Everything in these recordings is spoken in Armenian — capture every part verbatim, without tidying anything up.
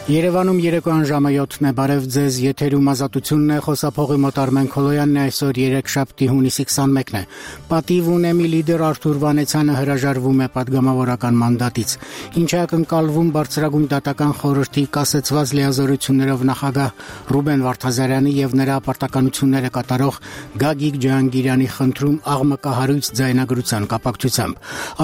Երևանում երեկոյան ժամը յոթն է, բարև ձեզ, եթերում ազատությունն է, խոսափողի մոտ Արմեն Քոլոյանն է, այսօր երեքշաբթի հունիսի քսանմեկն է։ Պատիվ ունեմի լիդեր Արթուր Վանեցյանը հրաժարվում է պատգամավորական մանդատից, ինչ է ակնկալվում բարձրագույն դատական խորհրդի կասեցված լիազորություններով նախագահ Ռուբեն Վարդազարյանի եւ նրա պարտականությունները կատարող Գագիկ Ջահանգիրյանի խնդրում աղմկահարույց ձայնագրության կապակցությամբ։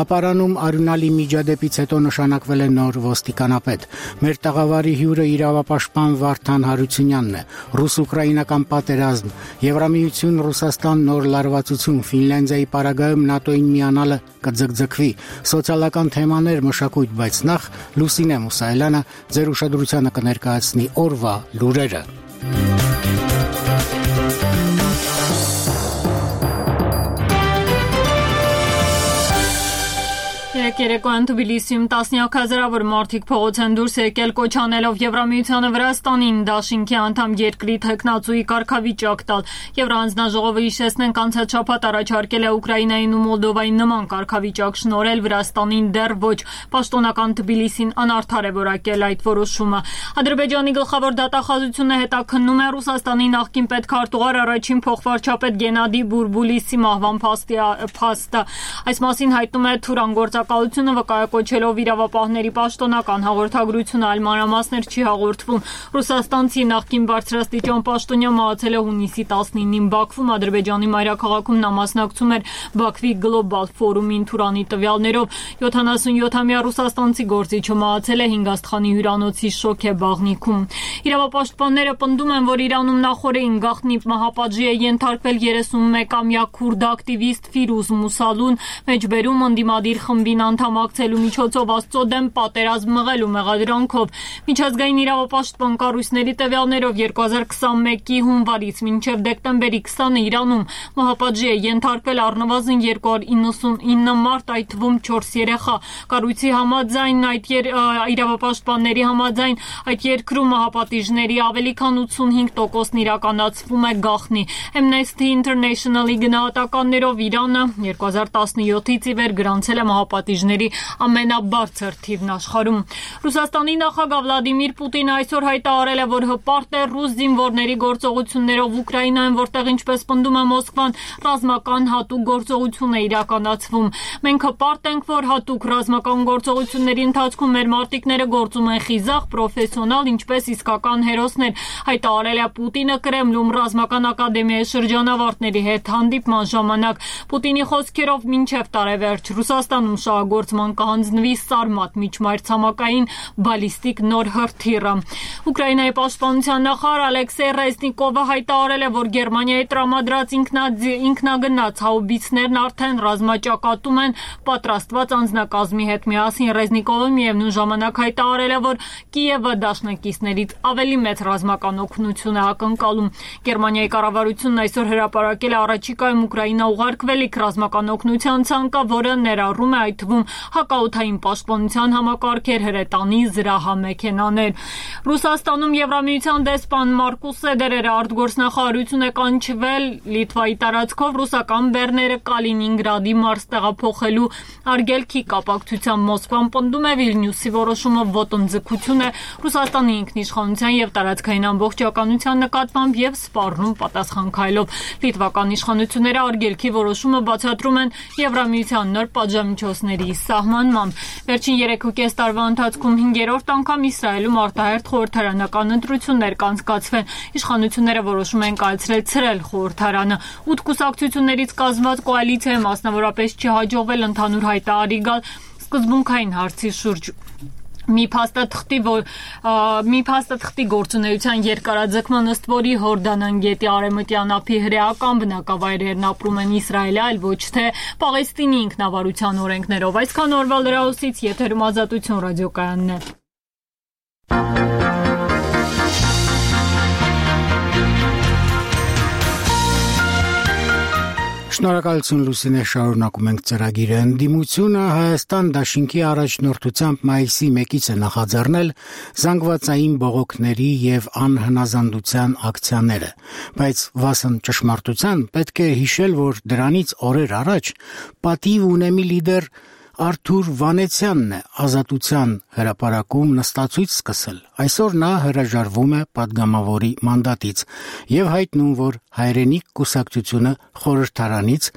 Ապարանում արյունալի միջադեպից հետո նշանակվել է նոր ոստիկանապետ։ Մեր տաղավարի հյուրը իրավապաշտպան Վարդան Հարությունյանն է։ Ռուս-ուկրաինական պատերազմ, Եվրամիություն Ռուսաստան նոր լարվածություն, Ֆինլանդիայի պարագայում ՆԱՏՕ-ին միանալը կձգձգվի, սոցիալական թեմաներ, մշակույթ, բայց նախ Լուսինե Մուսայելյանը ձեր ուշադրությանը կներկայացնի օրվա լուրերը։ Երեկոյան Թբիլիսիում տասնյակ հազարավոր մարդիկ փողոց են դուրս եկել կոչ անելով Եվրամիությանը Վրաստանին դաշինքի անդամ երկրի թեկնածուի կարգավիճակ տալ։ Եվրահանձնաժողովը հիշեցնենք անցած շաբաթ առաջարկել է Ուկրաինային ու Մոլդովային նման կարգավիճակ շնորհել Վրաստանին դեռ ոչ։ Պաշտոնական Թբիլիսին անարդար է որակել այդ որոշումը։ Ադրբեջանի գլխավոր դատախազությունը հետաքննում է Ռուսաստանի նախկին պետքարտուղար առաջին փոխվարչապետ Գենադի Բուրբուլիսի մահվան փաստը։ Այս մասին հայտնում է Թուրան գործակալությունը վկայակոչելով իրավապահների պաշտոնական հաղորդագրությունը, այլ մանրամասներ չի հաղորդվում։ Ռուսաստանցի նախկին բարձրաստիճան պաշտոնյա մահացել է հունիսի տասնինին Բաքվում, Ադրբեջանի մայրաքաղաքում նա մասնակցում էր Բաքվի գլոբալ ֆորումին Թուրանի տվյալներով յոթանասունյոթամյա ռուսաստանցի գործիչը մահացել է հինգ աստղանի հյուրանոցի շոքե բաղնիքում։ Իրավապաշտպանները պնդում են, որ Իրանում նախորդին գաղտնի մահապատժի է ենթարկվել երեսունմեկամյա քուրդ ակտիվիստ Ֆիրուզ Մուսալուն, մեջբերում ընդդիմադիր խմբին անդամակցելու միջոցով Աստծո դեմ պատերազմ մղելու մեղադրանքով։ Միջազգային իրավապաշտպան կառույցների տվյալներով երկու հազար քսանմեկի հունվարից մինչև դեկտեմբերի քսանը Իրանում մահապատժի է ենթարկվել առնվազն երկու հարյուր իննսունինը մարդ, այդ թվում չորս երեխա։ Կառույցի համաձայն այդ եր, իրավապաշտպանների համաձայն այդ երկրում մահապատիժների ավելի քան ութսունհինգ տոկոսն իրականացվում է գաղտնի։ Amnesty International-ի գնահատականներով Իրանը երկու հազար տասնյոթից ի վեր գրանցել է մահապատիժների ամենաբարձր թիվն աշխարհում։ Ռուսաստանի նախագահ Վլադիմիր Պուտինը այսօր հայտարարել է, որ հպարտ է ռուս զինվորների գործողություններով Ուկրաինայում, որտեղ ինչպես պնդում է Մոսկվան, ռազմական հատուկ գործողություն է իրականացվում։ Մենք հպարտ ենք, որ հատուկ ռազմական գործողությունների ընթացքում մեր մարտիկները գործում են խիզախ, պրոֆեսիոնալ, ինչպես իսկական հերոսներ, հայտարարել է Պուտինը Կրեմլում ռազմական ակադեմիայի շրջանավարտների հետ հանդիպման ժամանակ։ Պուտինի խոսքերով մինչև տարեվերջ Ռուսաստանում շահագործման կհանձնվի Սարմատ միջմայրցամաքային բալիստիկ նոր հրթիռը։ Ուկրաինայի պաշտպանության նախարար Ալեքսեյ Ռեզնիկովը հայտարարել է, որ Գերմանիայի տրամադրած ինքնագնաց հաուբիցներն արդեն ռազմաճակատում են պատրաստված անձնակազմի հետ միասին։ Ռեզնիկովը միևնույն ժամանակ հայտարարել է, որ Կիևը դաշնակիցներից ավելի մեծ ռազմական օգնություն է ակնկալում։ Գերմանիայի կառավարությունն այսօր հրապարակել է առաջիկայում Ուկրաինա ուղարկվելիք ռազմական օգնության ցանկը, որը ներառում է այդ թվում հակաօդային պաշտպանության համակարգեր, հրետանի, զրահամեքենաներ։ Ռուսաստանում Եվրամիության դեսպան Մարկուս Սեդերերը արտգործնախարարություն է կանչվել Լիտվայի տարածքով ռուսական բեռները Կալինինգրադի մարզ տեղափոխելու արգելքի կապակցությամբ։ Մոսկվան պնդում է Վիլնյուսի որոշումը ոտնձգություն է Ռուսաստանի ինքնիշխանության եւ տարածքային ամբողջականության նկատմամբ եւ սպառնում պատասխան քայլով։ Լիտվական իշխանությունները արգելքի որոշումը բացատրում են Եվրամիության նոր պատժամիջոցների սահմանմամբ։ Վերջին երեքուկես տարվա ընթացքում հինգերորդ անգամ Իսրայելում արտահերթ խորհրդարանական ընտրություններ կանցկացվեն։ Իշխանությունները որոշում են կայացրել ցրել խորհրդարանը։ Ութ կուսակցություններից կազմված կոալիցիայի մասնավորապես չի հաջողվել ընդհանուր հայտարարի գալ սկզբունքային հարցի շուրջ։ Մի փաստաթղթի որ մի փաստաթղթի գործունեության երկարաձգման ըստ որի Հորդանան գետի արևմտյան ափի հրեական բնակավայրերն ապրում են Իսրայելի, այլ ոչ թե Պաղեստինի ինքնավարության օրենքներով։ Այսքան օրվա լրահոսից եթերում Ազատություն ռադիոկայանն է։ Շնորհակալություն Լուսինե, շարունակում ենք ծրագիրը։ Ընդդիմությունը Հայաստան դաշինքի առաջնորդությամբ մայիսի մեկից է նախաձեռնել զանգվածային բողոքների եւ անհնազանդության ակցիաները, բայց վասն ճշմարտության պետք է հիշել, որ դրանից օրեր առաջ պատիվ ունեմի լիդեր Արթուր Վանեցյանն է Ազատության հրապարակում նստածույց սկսել։ Այսօր նա հրաժարվում է պատգամավորի մանդատից եւ հայտնում, որ հայրենիք կուսակցությունը խորհրդարանից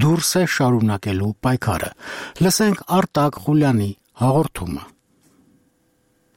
դուրս է շարունակելու պայքարը։ Լսենք Արտակ Խուլյանի հաղորդումը։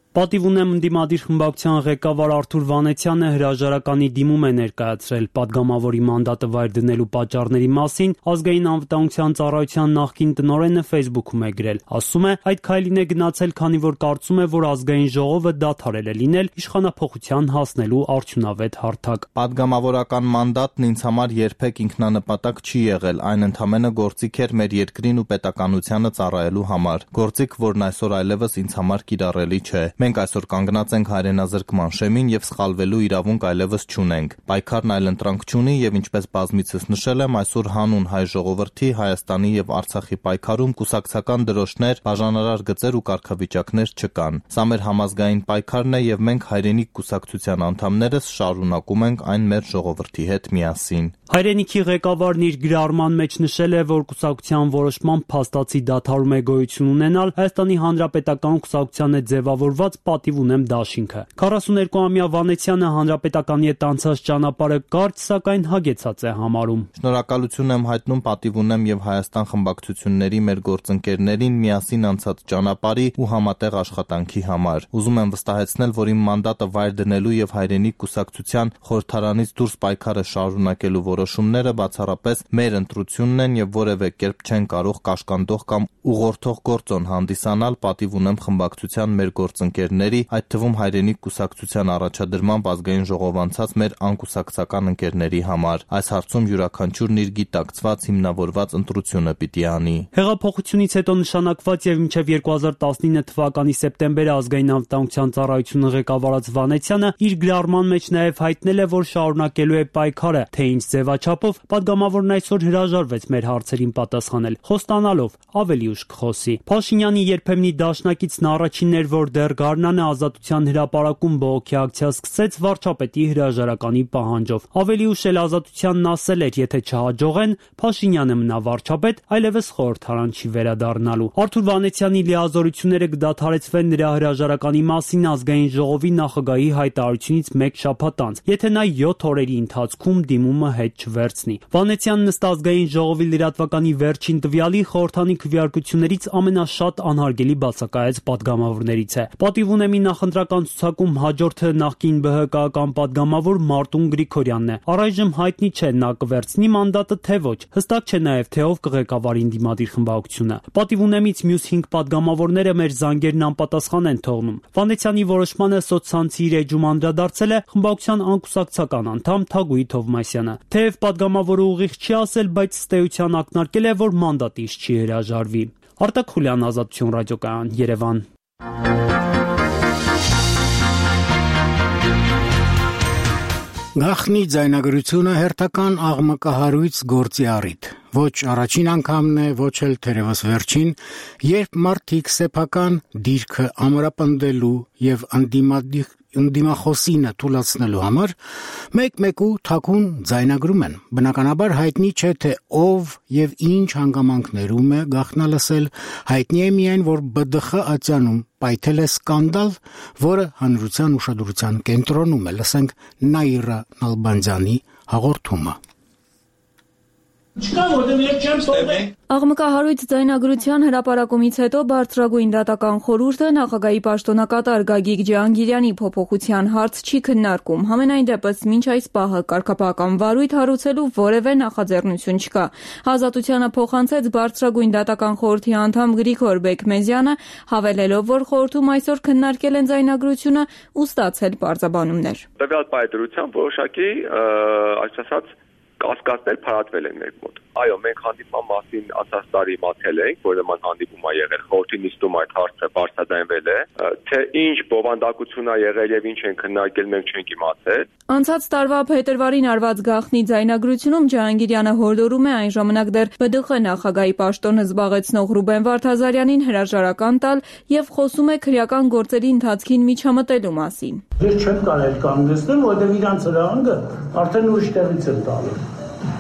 Պատիվ ունեմ ընդդիմադիր խմբակցության ղեկավար Արթուր Վանեցյանը հրաժարականի դիմում է ներկայացրել պատգամավորի մանդատը վայր դնելու պատճառների մասին ազգային անվտանգության ծառայության նախկին տնօրենը Facebook-ում է գրել։ Ասում է, այդ քայլին է գնացել, քանի որ կարծում է, որ ազգային ժողովը դադարել է լինել իշխանափոխության հասնելու արդյունավետ հարթակ։ Պատգամավորական մանդատն ինձ համար երբեք ինքնանպատակ չի եղել, այն ընդամենը գործիք էր մեր երկրին ու պետականությանը ծառայելու համար։ Գործիք, որն այսօր այլևս ինձ համար կիրառելի չէ։ Մենք այսօր կանգնած ենք հայրենազրկման շեմին եւ սխալվելու իրավունք այլևս չունենք։ Պայքարն այլընտրանք չունի եւ ինչպես բազմիցս նշել եմ, այսօր հանուն հայ ժողովրդի, Հայաստանի եւ Արցախի պայքարում կուսակցական դրոշներ, բաժանարար գծեր ու կարգավիճակներ չկան։ Սա մեր համազգային պայքարն է եւ մենք հայրենիք կուսակցության անդամներս շարունակում ենք այն մեր ժողովրդի հետ միասին։ Հայրենիքի ղեկավարն իր գրառման մեջ նշել է, որ կուսակցության որոշմամբ փաստացի դադարում է գոյություն ունենալ Հայաստանի Հանրապետական կուսակցության հետ ձևավորված պատիվ ունեմ դաշինքը։ քառասուներկուամյա Վանեցյանը հանրապետականի հետ անցած ճանապարհը կարճ, սակայն հագեցած է համարում։ Շնորհակալություն եմ հայտնում պատիվ ունեմ եւ Հայաստան խմբակցությունների մեր գործընկերներին միասին անցած ճանապարհի ու համատեղ աշխատանքի համար։ Ուզում եմ վստահեցնել, որ իմ մանդատը վայր դնելու եւ հայրենիք կուսակցության խորհրդարանից դուրս պայքարը շարունակելու որոշումները բացառապես մեր ընտրությունն են եւ որևէ կերպ չեն կարող կաշկանդող կամ ուղղորդող գործոն հանդիսանալ պատիվ ունեմ խմբակցության մեր գործընկերների, այդ թվում հայրենիք կուսակցության առաջադրմամբ ազգային ժողով անցած մեր անկուսակցական ընկերների համար։ Այս հարցում յուրաքանչյուրն իր գիտակցված հիմնավորված ընտրությունը պիտի անի։ Հեղափոխությունից հետո նշանակված եւ մինչեւ երկու հազար տասնինը թվականի սեպտեմբերը ազգային անվտանգության ծառայությունը ղեկավարած Վանեցյանը իր գրառման մեջ նաեւ հայտնել է, որ շարունակելու է պայքարը, թե ինչ ձևաչափով, պատգամավորն այսօր հրաժարվեց մեր հարցերին պատասխանել, խոստանալով ավելի ուշ կխոսի։ Փաշինյանի երբեմնի դաշնակիցն առաջինն էր, որ դեռ գարնանը Ազատության հրապարակում բողոքի ակցիա սկսեց վարչապետի հրաժարականի պահանջով։ Ավելի ուշ էլ Ազատությանն ասել էր, եթե չհաջողեն, Փաշինյանը մնա վարչապետ, այլևս խորհրդարան չի վերադառնալու։ Արթուր Վանեցյանի լիազորությունները կդադարեցվեն նրա հրաժարականի մասին ազգային ժողովի նախագահի հայտարարությունից մեկ շաբաթ անց, եթե նա յոթ օրերի ընթացքում դիմումը հետ չվերցնի։ Վանեցյանն ըստ ազգային ժողովի լրատվականի վերջին տվյալի խորհրդանի քվեարկություններից ամենաշատ անհարգելի բացակայած պատգամավորներից է։ Պատիվ ունեմի նախընտրական ցուցակում հաջորդը նախկին ԲՀԿ-ական պատգամավոր Մարտուն Գրիգորյանն է։ Առայժմ հայտնի չէ նա կվերցնի մանդատը թե ոչ։ Հստակ չէ նաև թե ով կղեկավարի ընդդիմադիր խմբակցությունը։ Պատիվ ունեմից մյուս հինգ պատգամավորները մեր զանգերն անպատասխան են թողնում։ Վանեցյանի որոշմանը սոցցանցի իր էջում անդրադարձել է խմբակցության անկուսակցական անդամ Թագուհի Թովմասյանը։ Թեև պատգամավորը ուղիղ չի ասել, բայց ըստ էության ակնարկել է, որ մանդատից չի հրաժարվի։ Արտակ Խուլյան, Ազատություն ռադիոկայան, Երևան։ Գախնի ձայնագրությունը հերթական աղմկահարույց գործի առիթ։ Ոչ առաջին անգամն է, ոչ էլ թերևս վերջին, երբ մարդիկ սեփական դիրքը ամրապնդելու եւ անդիմադիր ընդդիմախոսինը թույլատնելու համար մեկ-մեկու թաքուն ձայնագրում են։ Բնականաբար հայտնի չէ, թե ով եւ ինչ հանգամանքներում է գաղտնալսել, հայտնի է միայն, որ ԲԴԽ ատյանում պայթել է սկանդալ, որը հանրության ուշադրության կենտրոնում է։ Լսենք Նաիրա Նալբանդյանի հաղորդումը։ Աղմկահարույց ձայնագրության հրապարակումից հետո բարձրագույն դատական խորհուրդը նախագահի պաշտոնակատար Գագիկ Ջհանգիրյանի փոփոխության հարց չի քննարկում։ Համենայն դեպս մինչ այս պահը կարգապահական վարույթ հարուցելու որևէ նախաձեռնություն չկա։ Ազատությանը փոխանցեց բարձրագույն դատական խորհրդի անդամ Գրիգոր Բեկմեզյանը, հավելելով, որ խորհրդում այսօր քննարկել են ձայնագրությունը ու ստացել պարզաբանումներ։ Տվյալ պայծրությամբ որոշակի, այս ասած, կասկածներ փարատվել են մեր մոտ։ Այո, մենք հանդիպման մասին անցած տարի մատել ենք, որ նման հանդիպում է եղել, խորհրդի նիստում այդ հարցը բարձրաձայնվել է, թե ինչ բովանդակություն է եղել եւ ինչ են քննարկել, մենք չենք իմացել։ Անցած տարվա փետրվարին արված գաղտնի ձայնագրությունում Ջհանգիրյանը հորդորում է այն ժամանակ դեռ ԲԴԽ նախագահի պաշտոնը զբաղեցնող Ռուբեն Վարդազարյանին հրաժարական տալ եւ խոսում է քրեական գործերի ընթացքին միջամտելու մասին։ Ես չեմ կարող կանգնեցնել, որովհետեւ իրանց հրահանգը արդեն ուրիշ տեղից են տալու։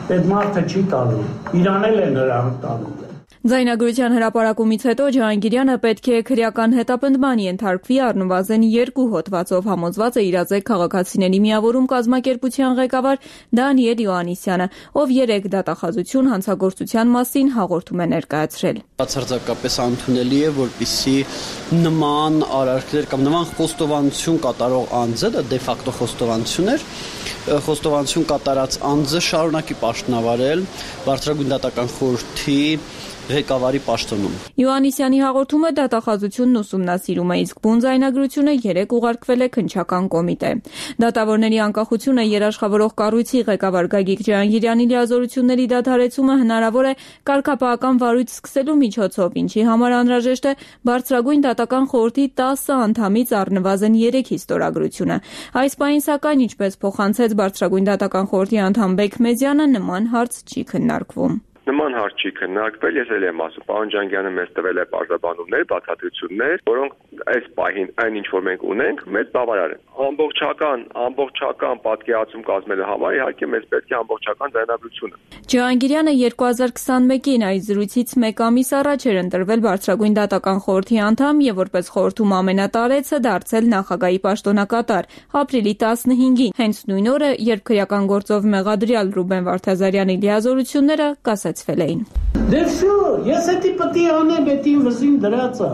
Այդ մարդը չի տալու, իրան էլ են հրահանգ տալու։ Ձայնագրության հրապարակումից հետո Ջհանգիրյանը պետք է քրեական հետապնդման ենթարկվի առնվազն երկու հոդվածով, համոզված է իրազեկ քաղաքացիների միավորում կազմակերպության ղեկավար Դանիել Յոհաննիսյանը, ով երեք դատախազություն հանցագործության մասին հաղորդում է ներկայացրել։ Բացարձակապես անընդունելի է, որպեսզի նման արարքներ կամ նման խոստովանություն կատարող անձը, դա դե ֆակտո խոստովանություն էր, խոստովանություն կատարած անձը շարունակի պաշտոնավարել Բարձրագույն դատական խորհրդի ղեկավարի պաշտոնում։ Յոհաննիսյանի հաղորդումը դատախազությունն ուսումնասիրում է, իսկ բուն ձայնագրությունը երեք ուղարկվել է քննչական կոմիտե։ Դատավորների անկախությունը երաշխավորող կառույցի ղեկավար Գագիկ Ջհանգիրյանի լիազորությունների դադարեցումը հնարավոր է կարգապահական վարույթ սկսելու միջոցով, ինչի համար անհրաժեշտ է Բարձրագույն դատական խորհրդի տասը անդամից առնվազն երեքի ստորագրությունը։ Այս պահին, սակայն, ինչպես փոխանցեց Բարձրագույն դատական խորհրդի անդամ Բեքմեզյանը, նման հարց չի քննարկվում։ Նման հարց չի քննարկվել, ես էլ եմ ասում, պարոն Ջհանգիրյանը մեզ տվել է պարզաբանումներ, բացատրություններ, որոնք այս պահին այն ինչ որ մենք ունենք, մեզ բավարար են։ Ամբողջական, ամբողջական պատկերացում կազմելու համար իհարկե մեզ պետք է ամբողջական ձայնագրությունը։ Ջհանգիրյանը երկու հազար քսանմեկին այս զրույցից մեկ ամիս առաջ էր ընտրվել Բարձրագույն դատական խորհրդի անդամ եւ որպես խորհրդում ամենատարեցը դարձել նախագահի պաշտոնակատար ապրիլի տասնհինգին, հենց նույն օրը, երբ քրեական գործով մեղադրյալ Ռուբեն Վարդազարյանի լիազորությունները կասեցվել էին։ Դե շո, ես էդի պտի անեմ, էդին վզին դրածա։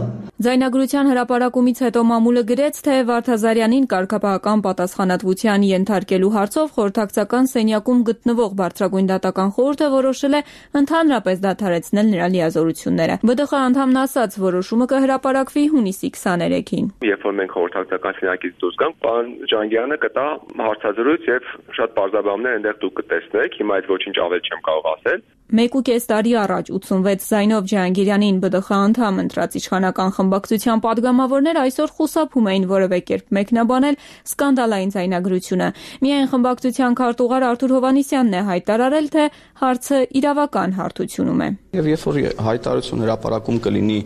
Ձայնագրության հրապարակումից հետո մամուլը գրեց, թե Վարդազարյանին կարգապահական պատասխանատվության ենթարկելու հարցով խորհրդակցական սենյակում գտնվող Բարձրագույն դատական խորհուրդը որոշել է ընդհանրապես դադարեցնել նրա լիազորությունները։ ԲԴԽ անդամն ասաց, որոշումը կհրապարակվի հունիսի քսաներեքին։ Երբ որ մենք խորհրդակցական սենյակից դուրս գանք, պարոն Ջհանգիրյանը կտա հարցազրույց եւ շատ բարձրաբանումներ այնտեղ դուք կտեսնեք։ Հիմա այդ ոչինչ ավել չեմ կարող ասել։ Մեկ ու կես տարի առաջ ութսունվեց ձայնով Ջհանգիրյանին ԲԴԽ անդամ ընտրած իշխանական խմբակցության падգամավորներ այսօր խուսափում էին որևէ կերպ մեկնաբանել սկանդալային ձայնագրությունը։ Միայն խմբակցության քարտուղար Արթուր Հովհաննիսյանն է հայտարարել, թե հարցը իրավական հարթությունում է։ Եվ երբ որ հայտարարություն հրապարակում կլինի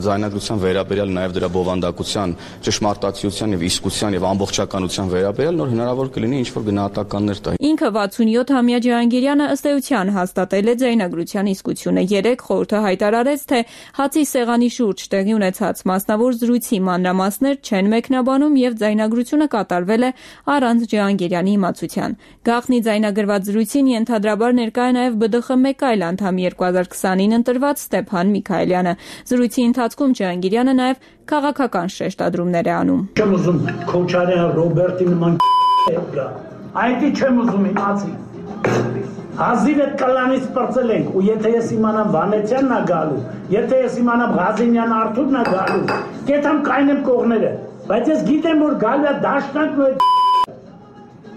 ձայնագրության վերաբերյալ նաև դրա բովանդակության, ճշմարտացիության եւ իսկության եւ ամբողջականության վերաբերյալ, նոր հնարավոր կլինի ինչ-որ գնահատականներ տա։ Ինքը վաթսունյոթ-ամյա Ջհանգիրյանը ըստ էության հաստատել է ձայնագրության իսկությունը։ Երեք խորհուրդը հայտարարեց, թե հացի սեղանի շուրջ տեղի ունեցած մասնավոր զրույցի մանրամասներ չեն մեկնաբանում եւ ձայնագրությունը կատարվել է առանց Ջհանգիրյանի իմացության։ Գաղտնի ձայնագրված զրույցին ենթադրաբար ներկա է նաեւ ԲԴԽ մեկ այլ անդամ երկու հազար քսանին ընտրված Ստեփան Միքայելյանը։ Զրույցի ընթացքում Ջհանգիրյանը նաեւ քաղաքական շեշտադրումներ է անում։ Չեմ ուզում Քոչարյան Ռոբերտի նման գա։ Այդի չեմ ուզում իմացի։ Հազիվ այդ կալանից պրծել ենք, ու եթե ես իմանամ Վանեցյանն է գալու, եթե ես իմանամ Ղազենյան Արթուրն է գալու, կետամ կայնեմ կողները, բայց ես գիտեմ, որ գալու է դաշնանքն ու այդ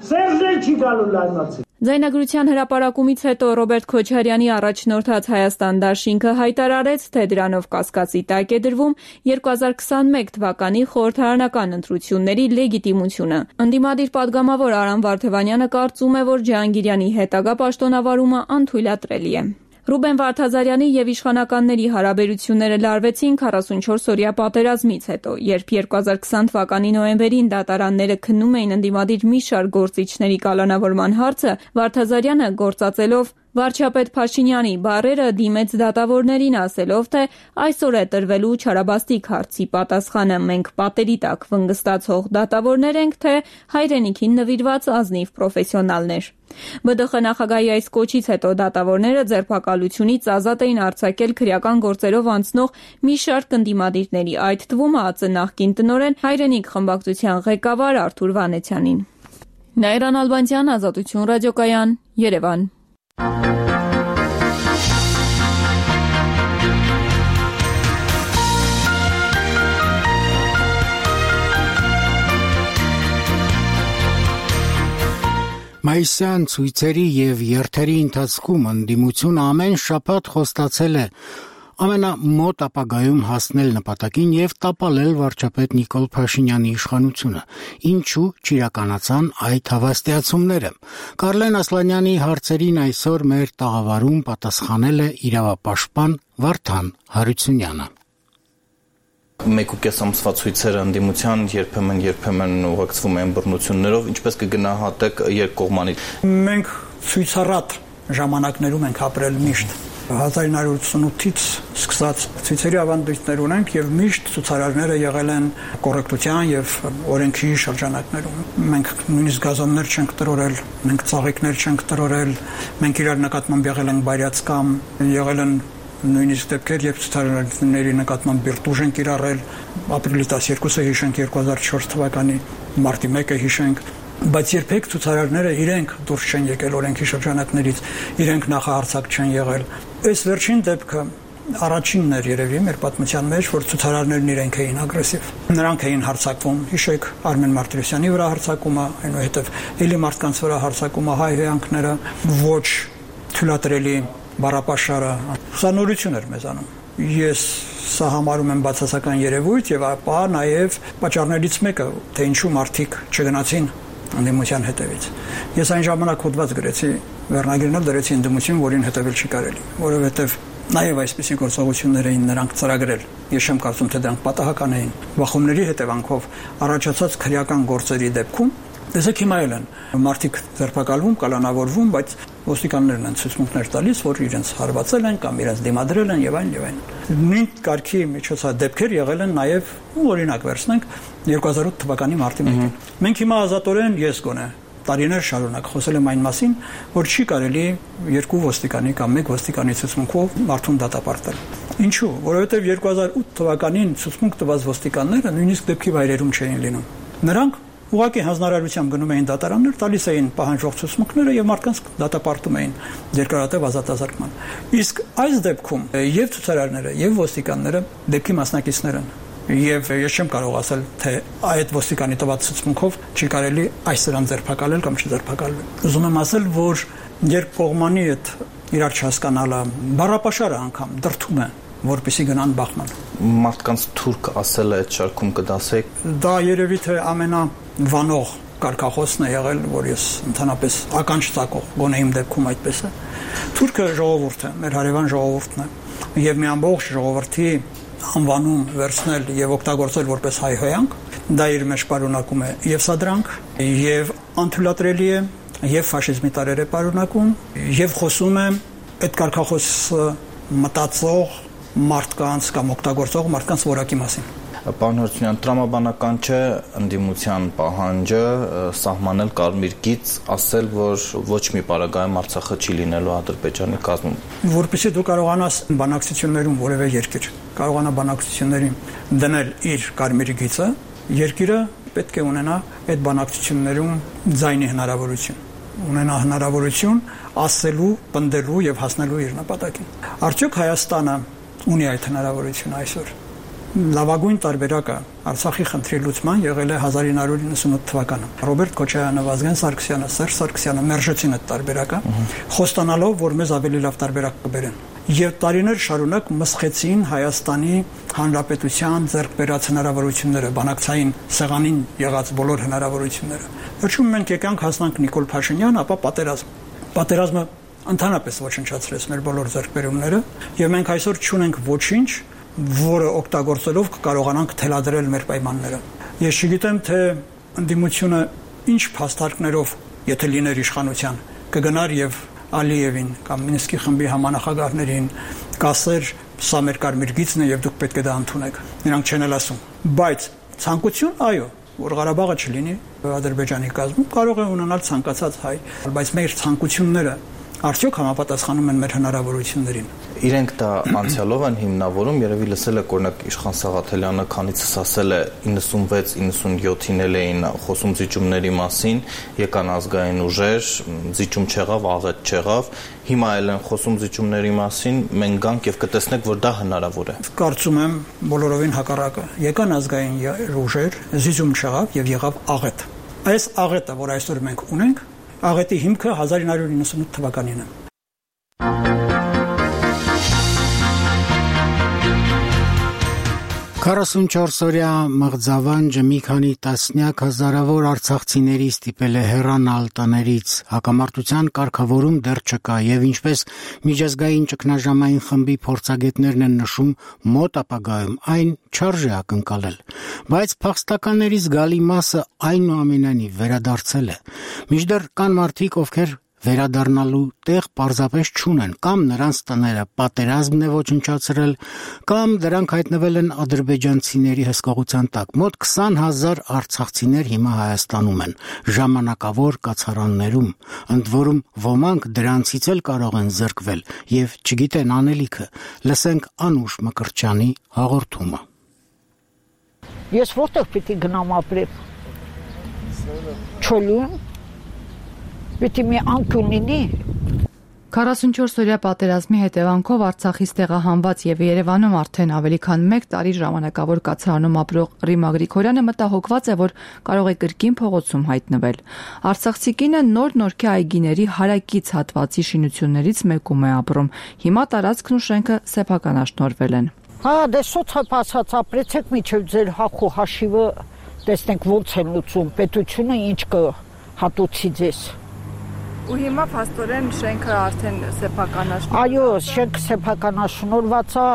Սերժն էլ չի գալու լայնացի։ Ձայնագրության հրապարակումից հետո Ռոբերտ Քոչարյանի առաջնորդած Հայաստան դաշինքը հայտարարեց, թե դրանով կասկածի տակ է դրվում երկու հազար քսանմեկ թվականի խորհրդարանական ընտրությունների լեգիտիմությունը։ Ընդդիմադիր падգամավոր Արամ Վարդևանյանը կարծում է, որ Ջհանգիրյանի հետագա պաշտոնավարումը անթույլատրելի է։ Ռուբեն Վարդազարյանի եւ իշխանականների հարաբերությունները լարվեցին քառասունչորս-օրյա պատերազմից հետո, երբ երկու հազար քսան թվականի նոյեմբերին դատարանները քննում էին ընդդիմադիր մի շարք գործիչների կալանավորման հարցը, Վարդազարյանը գործածելով վարչապետ Փաշինյանի բառերը դիմեց դատավորներին ասելով, թե այսօր է տրվելու Չարաբաստիկ հարցի պատասխանը, մենք պատերի տակ վնգստացող դատավորներ ենք, թե հայրենիքին նվիրված ազնիվ պրոֆեսիոնալներ։ ԲԴԽ նախագահի այս կոչից հետո դատավորները ձերբակալությունից ազատ էին արձակել քրեական գործերով անցնող մի շարք ընդդիմադիրների, այդ թվում ԱԱԾ նախկին տնօրեն Հայրենիք խմբակցության ղեկավար Արթուր Վանեցյանին։ Նաիրան Ալբանդյան, Ազատություն ռադիոկայան, Երևան։ Մայիսյան ցույցերի եւ երթերի ընթացքում ընդդիմությունը ամեն շաբաթ խոստացել է ամենամոտ ապագայում հասնել նպատակին եւ տապալել վարչապետ Նիկոլ Փաշինյանի իշխանությունը։ Ինչու չիրականացան այդ հավաստիացումները։ Կարլեն Ասլանյանի հարցերին այսօր մեր տաղավարում պատասխանել է իրավապաշտպան Վարդան Հարությունյանը։ Մեկ ու կես ամսվա ցույցերը ընդդիմության երբեմն երբեմն ուղեկցվում են բռնություններով, ինչպես կգնահատեք երկկողմանի։ Մենք ցույցառատ ժամանակներում ենք ապրել միշտ։ հազար իննսուն ութսունութից սկսած ցույցերի ավանդույթներ ունենք եւ միշտ ցուցարարները եղել են կոռեկտության եւ օրենքի շրջանակներում։ Մենք նույնիսկ գազոններ չենք տրորել, մենք ծաղիկներ չենք տրորել, մենք իրար նկատմամբ եղել ենք բայրացկամ, եղել են նույնիսկ դեպքեր, երբ ցուցարարների նկատմամբ բիրտուժ են կիրառել, ապրիլի տասներկուսը հիշենք երկու հազար չորս թվականի մարտի մեկը հիշենք, բայց երբեք ցուցարարները իրենք դուրս չեն եկել օրենքի շրջանակներից, իրենք նախահարցակ չեն եղել։ Այս վերջին դեպքը առաջինն էր երևի մեր պատմության մեջ, որ ցուցարարներն իրենք էին ագրեսիվ։ Նրանք էին հարձակվում, հիշեք Արմեն Մարտիրոսյանի վրա հարձակումը, այնուհետև էլի մարդկանց վրա հարձակումը, հայ հյանքները, ոչ թույլատրելի բառապաշարը, սա նորություն էր մեզանում։ Ես սա համարում եմ բացասական երևույթ եւ ապա նաեւ պատճառներից մեկը, թե ինչու մարդիկ չգնացին ընդդիմության հետևից։ Ես այն ժամանակ հոդված գրեցի, վերնագրերով դրեցի ընդդիմություն, որին հետևել չի կարելի, որովհետեւ նաեւ այսպիսի գործողություններ էին նրանք ծրագրել։ Ես չեմ կարծում, թե դրանք պատահական էին։ Բախումների հետևանքով առաջացած քրեական գործերի դեպքում տեսեք հիմա էլ են մարդիկ ձերբակալվում, կալանավորվում, բայց ոստիկաններն են ցուցմունքներ տալիս, որ իրենց հարվածել են կամ իրենց դիմադրել են եւ այլն եւ այլն։ Նույն կարգի միջոցադեպքեր եղել են նաեւ, օրինակ վերցնենք երկու հազար ութ թվականի մարտի մեկին։ Մենք հիմա ազատորեն ես գոնե տարիներ շարունակ խոսել եմ այն մասին, որ չի կարելի երկու ոստիկանի կամ մեկ ոստիկանի ցուցմունքով մարդուն դատապարտել։ Ինչու՞, որովհետեւ երկու հազար ութ թվականին ցուցմունք տված ոստիկանները նույնիսկ դեպքի վայրերում չէին լինում։ Նրանք ուղղակի հանձնարարությամբ գնում էին դատարաններ, տալիս էին պահանջող ցուցմունքները եւ մարդկանց դատապարտում էին երկարատև ազատազրկման։ Իսկ այս դեպքում եւ ցուցարարները եւ ոստիկանները դեպքի մասնակիցներ են։ Եվ ես չեմ կարող ասել, թե այդ ոստիկանի տված ցուցմունքով չի կարելի այս սրան ձերբակալել կամ չձերբակալվել։ Ուզում եմ ասել, որ երբ կողմանի այդ իրար չհասկանալը, բառապաշարը անգամ դրթում է, որպեսի գնան բախման։ Մարդկանց թուրք ասել է այդ շարքում կդասեք։ Դա երևի թե ամենավանող կարգախոսն է եղել, որ ես ընդհանրապես ականջ ծակող, գոնե իմ դեպքում այդպես է։ Թուրքը ժողովուրդ է, մեր հարևան ժողովուրդն է, եւ մի ամբողջ ժողովրդի անվանում վերցնել եւ օգտագործել որպես հայ հոյանք, դա իր մեջ պարունակում է եւ սադրանք, եւ անթույլատրելի է, եւ ֆաշիզմի տարեր է պարունակում, եւ խոսում է այդ կարգախոսը մտածող մարդկանց կամ օգտագործող մարդկանց որակի մասին։ Պարոն Հարությունյան, տրամաբանական չէ ընդդիմության պահանջը սահմանել կարմիր գիծ, ասել, որ ոչ մի պարագայում Արցախը չի լինելու Ադրբեջանի կազմում։ Որպեսզի դու կարողանաս բանակցություններում որևէ երկիր կարողանա բանակցություններին դնել իր կարմիր գիծը, երկիրը պետք է ունենա այդ բանակցություններում ձայնի հնարավորություն, ունենա հնարավորություն ասելու, պնդելու եւ հասնելու իր նպատակին։ Արդյոք Հայաստանը ունի այդ հնարավորությունը այսօր։ Լավագույն տարբերակը Արցախի խնդրի լուծման եղել է հազար ինը հարյուր իննսունութ թվականը։ Ռոբերտ Քոչարյանը, Վազգեն Սարգսյանը, Սերժ Սարգսյանը մերժեցին այդ տարբերակը, խոստանալով, որ մեզ ավելի լավ տարբերակ կբերեն։ Եվ տարիներ շարունակ մսխեցին Հայաստանի Հանրապետության ձեռք բերած հնարավորությունները, բանակցային սեղանին եղած բոլոր հնարավորությունները։ Վերջում մենք եկանք հասնանք Նիկոլ Փաշինյան, ապա պատերազմ։ Պատերազմը ընդհանրապես ոչնչացրեց մեր բոլոր ձեռքբերումները, եւ մենք այսօր չունենք ոչինչ, որը օգտագործելով կկարողանանք թելադրել մեր պայմանները։ Ես չգիտեմ, թե ընդդիմությունը ինչ փաստարկներով, եթե լիներ իշխանության, կգնար եւ Ալիևին կամ Մինսկի խմբի համանախագահներին կասեր, սա մեր կարմիր գիծն է եւ դուք պետք է դա ընդունեք։ Նրանք չեն էլ ասում։ Բայց ցանկություն, այո, որ Ղարաբաղը չլինի Ադրբեջանի կազմում, կարող է ունենալ ցանկացած հայ, բայց մեր ցանկությունները արդյոք համապատասխանում են մեր հնարավորություններին։ Իրենք դա անցյալով են հիմնավորում, երևի լսել եք օրինակ Իշխան Սաղաթելյանը քանիցս ասել է իննսունվեց իննսունյոթին էլ էին խոսում զիջումների մասին, եկան ազգային ուժեր, զիջում չեղավ, աղետ չեղավ, հիմա էլ են խոսում զիջումների մասին, մենք գանք եւ կտեսնեք, որ դա հնարավոր է։ Կարծում եմ բոլորովին հակառակը։ Եկան ազգային ուժեր, զիջում չեղավ եւ եղավ աղետ։ Այս աղետը, որ այսօր մենք ունենք, աղետի հիմքը հազար ինը հարյուր իննսունութ թվականին է։ քառասունչորս օրյա մղձավանջը մի քանի տասնյակ հազարավոր արցախցիների ստիպել է հեռանալ տներից, հակամարտության կարգավորում դեռ չկա եւ ինչպես միջազգային ճգնաժամային խմբի փորձագետներն են նշում, մոտ ապագայում այն չարժե ակնկալել, բայց փախստականների զգալի մասը այնուամենայնիվ վերադարձել է։ Մինչդեռ կան մարդիկ, ովքեր վերադառնալու տեղ պարզապես չունեն, կամ նրանց տները պատերազմն է ոչնչացրել, կամ դրանք հայտնվել են ադրբեջանցիների հսկողության տակ։ Մոտ քսան հազար արցախցիներ հիմա Հայաստանում են, ժամանակավոր կացարաններում, ընդ որում ոմանք դրանցից էլ կարող են զրկվել եւ չգիտեն անելիքը։ Լսենք Անուշ Մկրտչյանի հաղորդումը։ Ես որտեղ պիտի գնամ ապրեմ։ Չոլում Պիտի մի անկյուն լինի։ քառասունչորս-օրյա պատերազմի հետևանքով Արցախից տեղահանված եւ Երևանում արդեն ավելի քան մեկ տարի ժամանակավոր կացարանում ապրող Ռիմա Գրիգորյանը մտահոգված է, որ կարող է կրկին փողոցում հայտնվել։ Արցախցի կինը նոր-նորքի այգիների հարակից հատվածի շինություններից մեկում է ապրում։ Հիմա տարածքն ու շենքը սեփականաշնորհվել են։ Հա, դե սոցիալ ասած ապրեցեք միջև ձեր հախու հաշիվը, տեսնենք ոնց են լուծում, պետությունը ինչ կհատուցի ձեզ։ Ու հիմա փաստորեն շենքը արդեն սեփականաշնորհված։ Այո, շենքը սեփականաշնորհված է,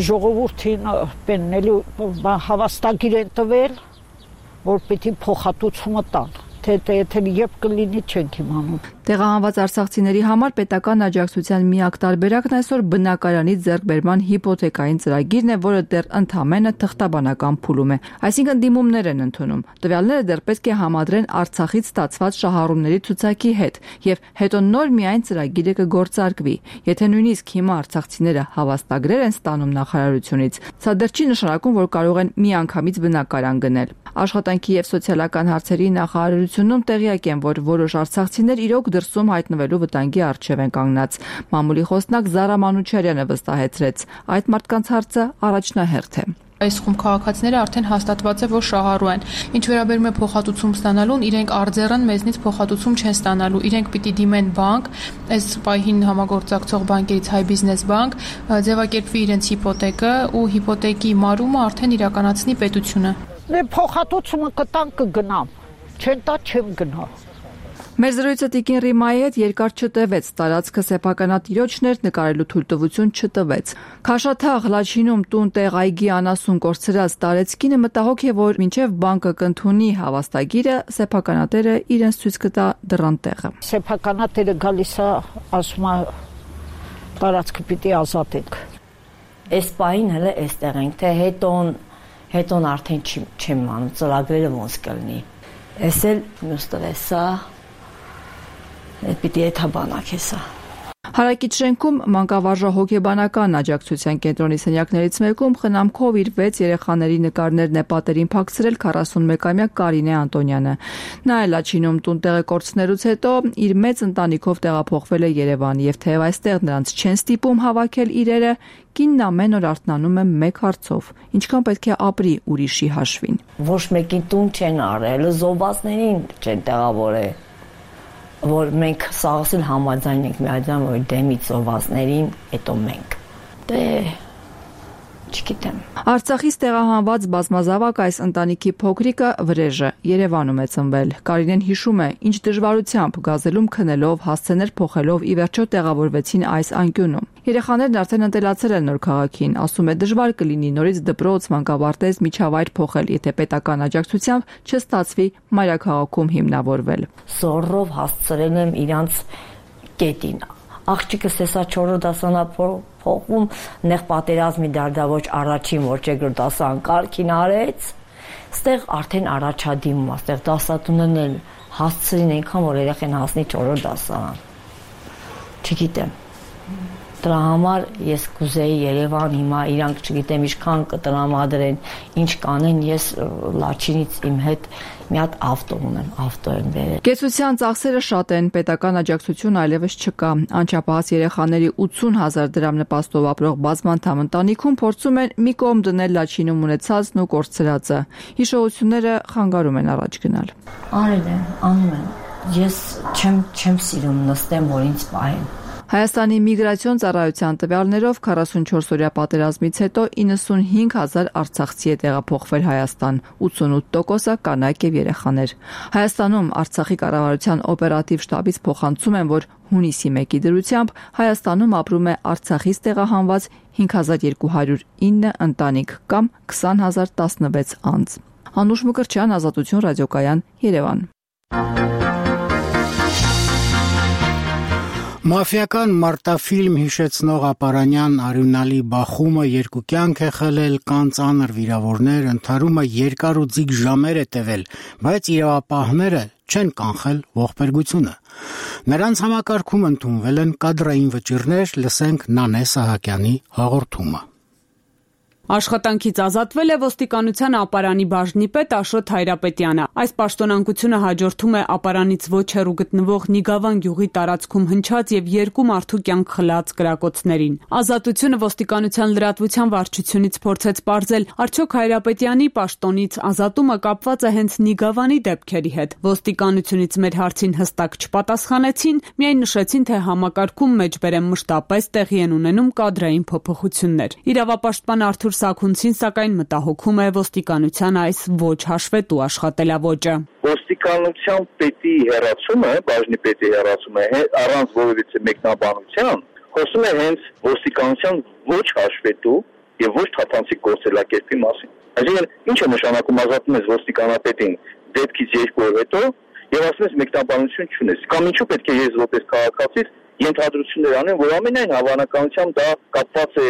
ժողովրդին պեննելու հավաստագիր են տվել, որ պիտի փոխհատուցումը տան։ Թե եթե երբ կլինի չենք իմանում։ Տեղահանված արցախցիների համար պետական աջակցության միակ տարբերակն այսօր բնակարանից ձեռքբերման հիպոթեկային ծրագիրն է, որը դեռ ընդամենը թղթաբանական փուլում է, այսինքն դիմումներ են ընդունում։ Տվյալները դեռ պետք է համադրեն Արցախից ստացված շահառուների ցուցակի հետ, եւ հետո նոր միայն ծրագիրը կգործարկվի։ Եթե նույնիսկ հիմա արցախցիները հավաստագրեր են ստանում նախարարությունից, սա դեռ չի նշանակում, որ կարող են միանգամից բնակարան գնել։ Աշխատանքի եւ սոցիալական հարցերի նախարարությունում տեղյակ են, որ որոշ արցախցիներ իրոք դրսում հայտնվելու վտանգի առջև են կանգնած։ Մամուլի խոսնակ Զարա Մանուչարյանը վստահեցրեց, այդ մարդկանց հարցը առաջնահերթ է։ Այս խումբ քաղաքացիները արդեն հաստատված է, որ շահառու են։ Ինչ վերաբերում է փոխհատուցում ստանալուն, իրենք արձեռն մեզնից փոխհատուցում չեն ստանալու։ Իրենք պիտի դիմեն բանկ, այս պահին համագործակցող բանկերից Հայ Բիզնես բանկ, ձևակերպվի իրենց հիպոթեկը ու հիպոթեկի մարումը արդեն իրականացնի պետությունը։ Դե փոխհատուցումը կտան կգնամ, չեն տա չեմ գնա։ Մեր զրույցը տիկին Ռիմայի հետ երկար չտևեց, տարածքը սեփականատիրոջներ նկարելու թույլտվություն չտվեց։ Քաշաթաղ Լաչինում տուն-տեղ այգի անասուն կորցրած տարեցկինը մտահոգ է, որ մինչև բանկը կընդունի հավաստագիրը, սեփականատերը իրենց ցույց կտա դռան տեղը։ Սեփականատերը գալիս է, ասում է տարածքը պիտի ազատենք։ Այս պահին հələ այստեղ ենք, թե հետոն հետոն արդեն չեմ անում, ծրագրերը ոնց կլինի։ Էս էլ մյուս տվեսա, պիտի եթաբանակ էսա։ Հարակից շենքում մանկավարժ հոգեբանական աջակցության կենտրոնի սենյակներից մեկում խնամքով իր վեց երեխաների նկարներն է պատերին փակցրել քառասունմեկամյա Կարինե Անտոնյանը։ Նա էլ Լաչինում տուն-տեղը կորցնելուց հետո իր մեծ ընտանիքով տեղափոխվել է Երևան եւ թեև այստեղ նրանց չեն ստիպում հավաքել իրերը, կինն ամեն օր արթնանում է մեկ հարցով. ինչքան պետք է ապրի ուրիշի հաշվին։ Ոչ մեկին տուն չեն արել, զոհվածներին չեն տեղավորել, որ մենք սաղսել համաձայն ենք միաձայն, որ դեմից զոհվածներին, հետո մենք։ Դե չգիտեմ։ Արցախից տեղահանված բազմազավակ այս ընտանիքի փոքրիկը Վրեժը Երևանում է ծնվել։ Կարինեն հիշում է, ինչ դժվարությամբ գազելում քնելով, հասցեներ փոխելով ի վերջո տեղավորվեցին այս անկյունում։ Երեխաներն արդեն ընտելացել են նոր քաղաքին, ասում է դժվար կլինի նորից դպրոց, մանկաբարձ, միջավայր փոխել, եթե պետական աջակցությամբ չստացվի մայրաքաղաքում հիմնավորվել։ Զորով հասցրել եմ իրանց կետին։ Աղջիկս հեսա չորրորդ դասանափոխում նեղ պատերազմի դարդավոճ առաջին ոչեգր դասան կարգին արեց, ստեղ արդեն առաջադիմում, ստեղ դասատունն էլ հասցրին այնքան, որ երեխեն հասնի չորրորդ դասարան։ Չգիտեմ։ Դրա համար ես կուզեի Երևան հիմա իրանք չգիտեմ ինչքան կտրամադրեն, ինչ կանեն, ես Լաչինից իմ հետ մի հատ ավտո ունեմ, ավտո եմ բերել։ Կեցության ծախսերը շատ են, պետական աջակցություն այլևս չկա։ Անչափահաս երեխաների ութսուն հազար դրամ նպաստով ապրող բազմանդամ ընտանիքում փորձում են մի կողմ դնել Լաչինում ունեցածն ու կորցրածը։ Հիշողությունները խանգարում են առաջ գնալ։ Արել են, անում են։ Ես չեմ չեմ սիրում նստեմ, որ ինձ պահեն։ Հայաստանի միգրացիոն ծառայության տվյալներով քառասունչորս-օրյա պատերազմից հետո իննսունհինգ հազար արցախցի է տեղափոխվել Հայաստան, ութսունութ տոկոսը կանայք եւ երեխաներ։ Հայաստանում Արցախի կառավարության օպերատիվ շտաբից փոխանցում են, որ հունիսի մեկի դրությամբ Հայաստանում ապրում է Արցախից տեղահանված հինգ հազար երկու հարյուր ինը ընտանիք կամ քսան հազար տասնվեց անձ։ Անուշ Մկրտչյան, Ազատություն ռադիոկայան, Երևան։ Մաֆիական մարտաֆիլմ հիշեցնող ապարանյան արյունալի բախումը երկու կյանք է խլել, կան ծանր վիրավորներ, ընդհարումը երկար ու ձիգ ժամեր է տևել, բայց իրավապահները չեն կանխել ողբերգությունը։ Նրանց համակարգում ընդունվել են կադրային վճիռներ, լսենք Նանե Սահակյանի հաղորդումը։ Աշխատանքից ազատվել է ոստիկանության ապարանի բաժնի պետ Աշոտ Հայրապետյանը։ Այս պաշտոնանկությունը հաջորդում է ապարանից ոչ հեռու գտնվող Նիգավան գյուղի տարածքում հնչած եւ երկու մարդու կյանք խլած կրակոցներին։ Ազատությունը ոստիկանության լրատվության վարչությունից փորձեց պարզել, արդյոք Հայրապետյանի պաշտոնից ազատումը կապված է հենց Նիգավանի դեպքերի հետ։ Ոստիկանությունից մեր հարցին հստակ չպատասխանեցին, միայն նշեցին, թե համակարգում մեջբերեմ մշտապես տեղի են ունենում կադրային փոփոխություններ։ Իրավապաշտպան Արթուր Սաքունցին սակայն մտահոգում է ոստիկանության այս ոչ հաշվետու աշխատելավոճը։ Ոստիկանության պետի հեռացումը, բաժնի պետի հեռացումը առանց որևիցե մեկնաբանության խոսում է հենց ոստիկանության ոչ հաշվետու եւ ոչ թափանցիկ գործելակերպի մասին։ Այսինքն, ինչ է նշանակում ազատում ես ոստիկանապետին դեպքից երկու օր հետո եւ ասում ես մեկնաբանություն չունես։ Կամ ինչու պետք է ես որպես քաղաքացի ենթադրություններ անեն, որ ամենայն հավանականությամբ դա կապված է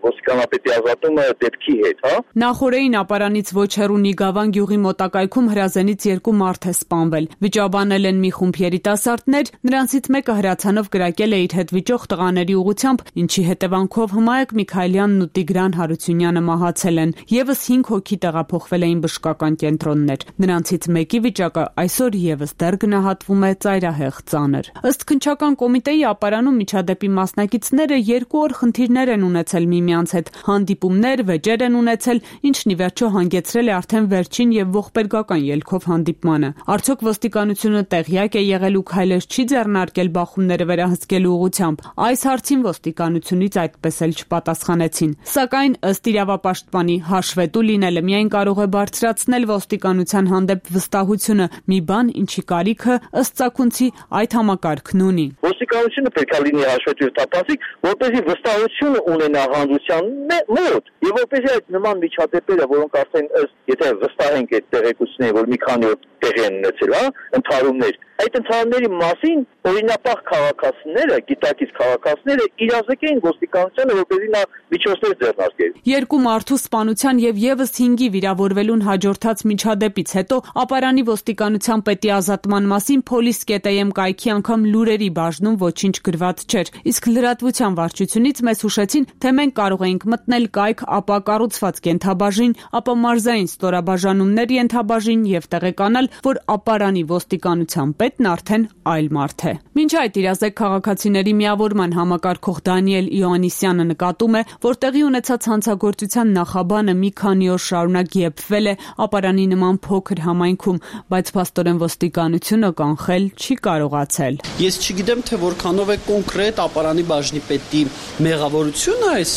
ոստիկանապետի ազատումը դեպքի հետ, հա։ Նախորդին ապարանից ոչ հեռու Նիգավան գյուղի մոտակայքում հրազենից երկու մարդ է սպանվել։ Վիճաբանել են մի խումբ երիտասարդներ, նրանցից մեկը հրացանով կրակել է իր հետ վիճող տղաների ուղղությամբ, ինչի հետևանքով Հմայակ Միքայելյանն ու Տիգրան Հարությունյանը մահացել են։ Եվս հինգ հոգի տեղափոխվել էին բժշկական կենտրոններ։ Նրանցից մեկի վիճակը այսօր եւս դեռ գնահատվում է ծայրահեղ ծանր։ Ըստ քննչական կոմիտեի ապարանում միջադեպի մասնակիցները երկու օր խնդիրներ են ունեցել միմյանց հետ, հանդիպումներ, վեճեր են ունեցել, ինչն ի վերջո հանգեցրել է արդեն վերջին եւ ողբերգական ելքով հանդիպմանը։ Արդյոք ոստիկանությունը տեղյակ է եղել ու քայլեր չի ձեռնարկել բախումները վերահսկելու ուղղությամբ։ Այս հարցին ոստիկանությունից այդպես էլ չպատասխանեցին։ Սակայն ըստ իրավապաշտպանի հաշվետու լինելը միայն կարող է բարձրացնել ոստիկանության հանդեպ վստահությունը, մի բան, ինչի կարիքը ըստ Սաքունցի այդ համակարգն ունի։ Ոստիկանությունը պետք է լինի հաշվետու տապանցիկ, որպեսզի վստահություն ունենա հանրության մոտ, եւ որպեսզի այդ նման միջադեպերը, որոնք արդեն ըստ եթե վստահենք այդ տեղեկությունները, որ մի քանի օր տեղի են ունեցել, հա, ընդհարումներ, այդ ընդհարումների մասին օրինապահ քաղաքացիները, գիտակից քաղաքացիները իրազեկեն ոստիկանությանը, որպեսզի նա միջոցներ ձեռնարկի։ Երկու մարդու սպանության եւ եւս հինգի վիրավորվելուն հաջորդած միջադեպից հետո ապարանի ոստիկանության պետի ազատման մասին Police.am կայքի անգամ լուրերի բաժնում ոչինչ գրված չէր։ Իսկ լրատվության վարչությունից մեզ հուշեցին, թե մենք կարող էինք մտնել կայք, ապա կառուցված կենթաբաժին, ապա մարզային ստորաբաժանումներ ենթաբաժին եւ տեղեկանալ, որ ապարանի ոստիկանության պետն արդեն այլ մարդ է։ Մինչ այդ իրազեկ քաղաքացիների միավորման համակարգող Դանիել Իոաննիսյանը նկատում է, որ տեղի ունեցած հանցագործության նախաբանը մի քանի օր շարունակ եփվել է ապարանի նման փոքր համայնքում, բայց փաստորեն ոստիկանությունը կանխել չի կարողացել։ Ես չգիտեմ, թե որքանով է կոնկրետ ապարանի բաժնի պետի մեղավորությունը այս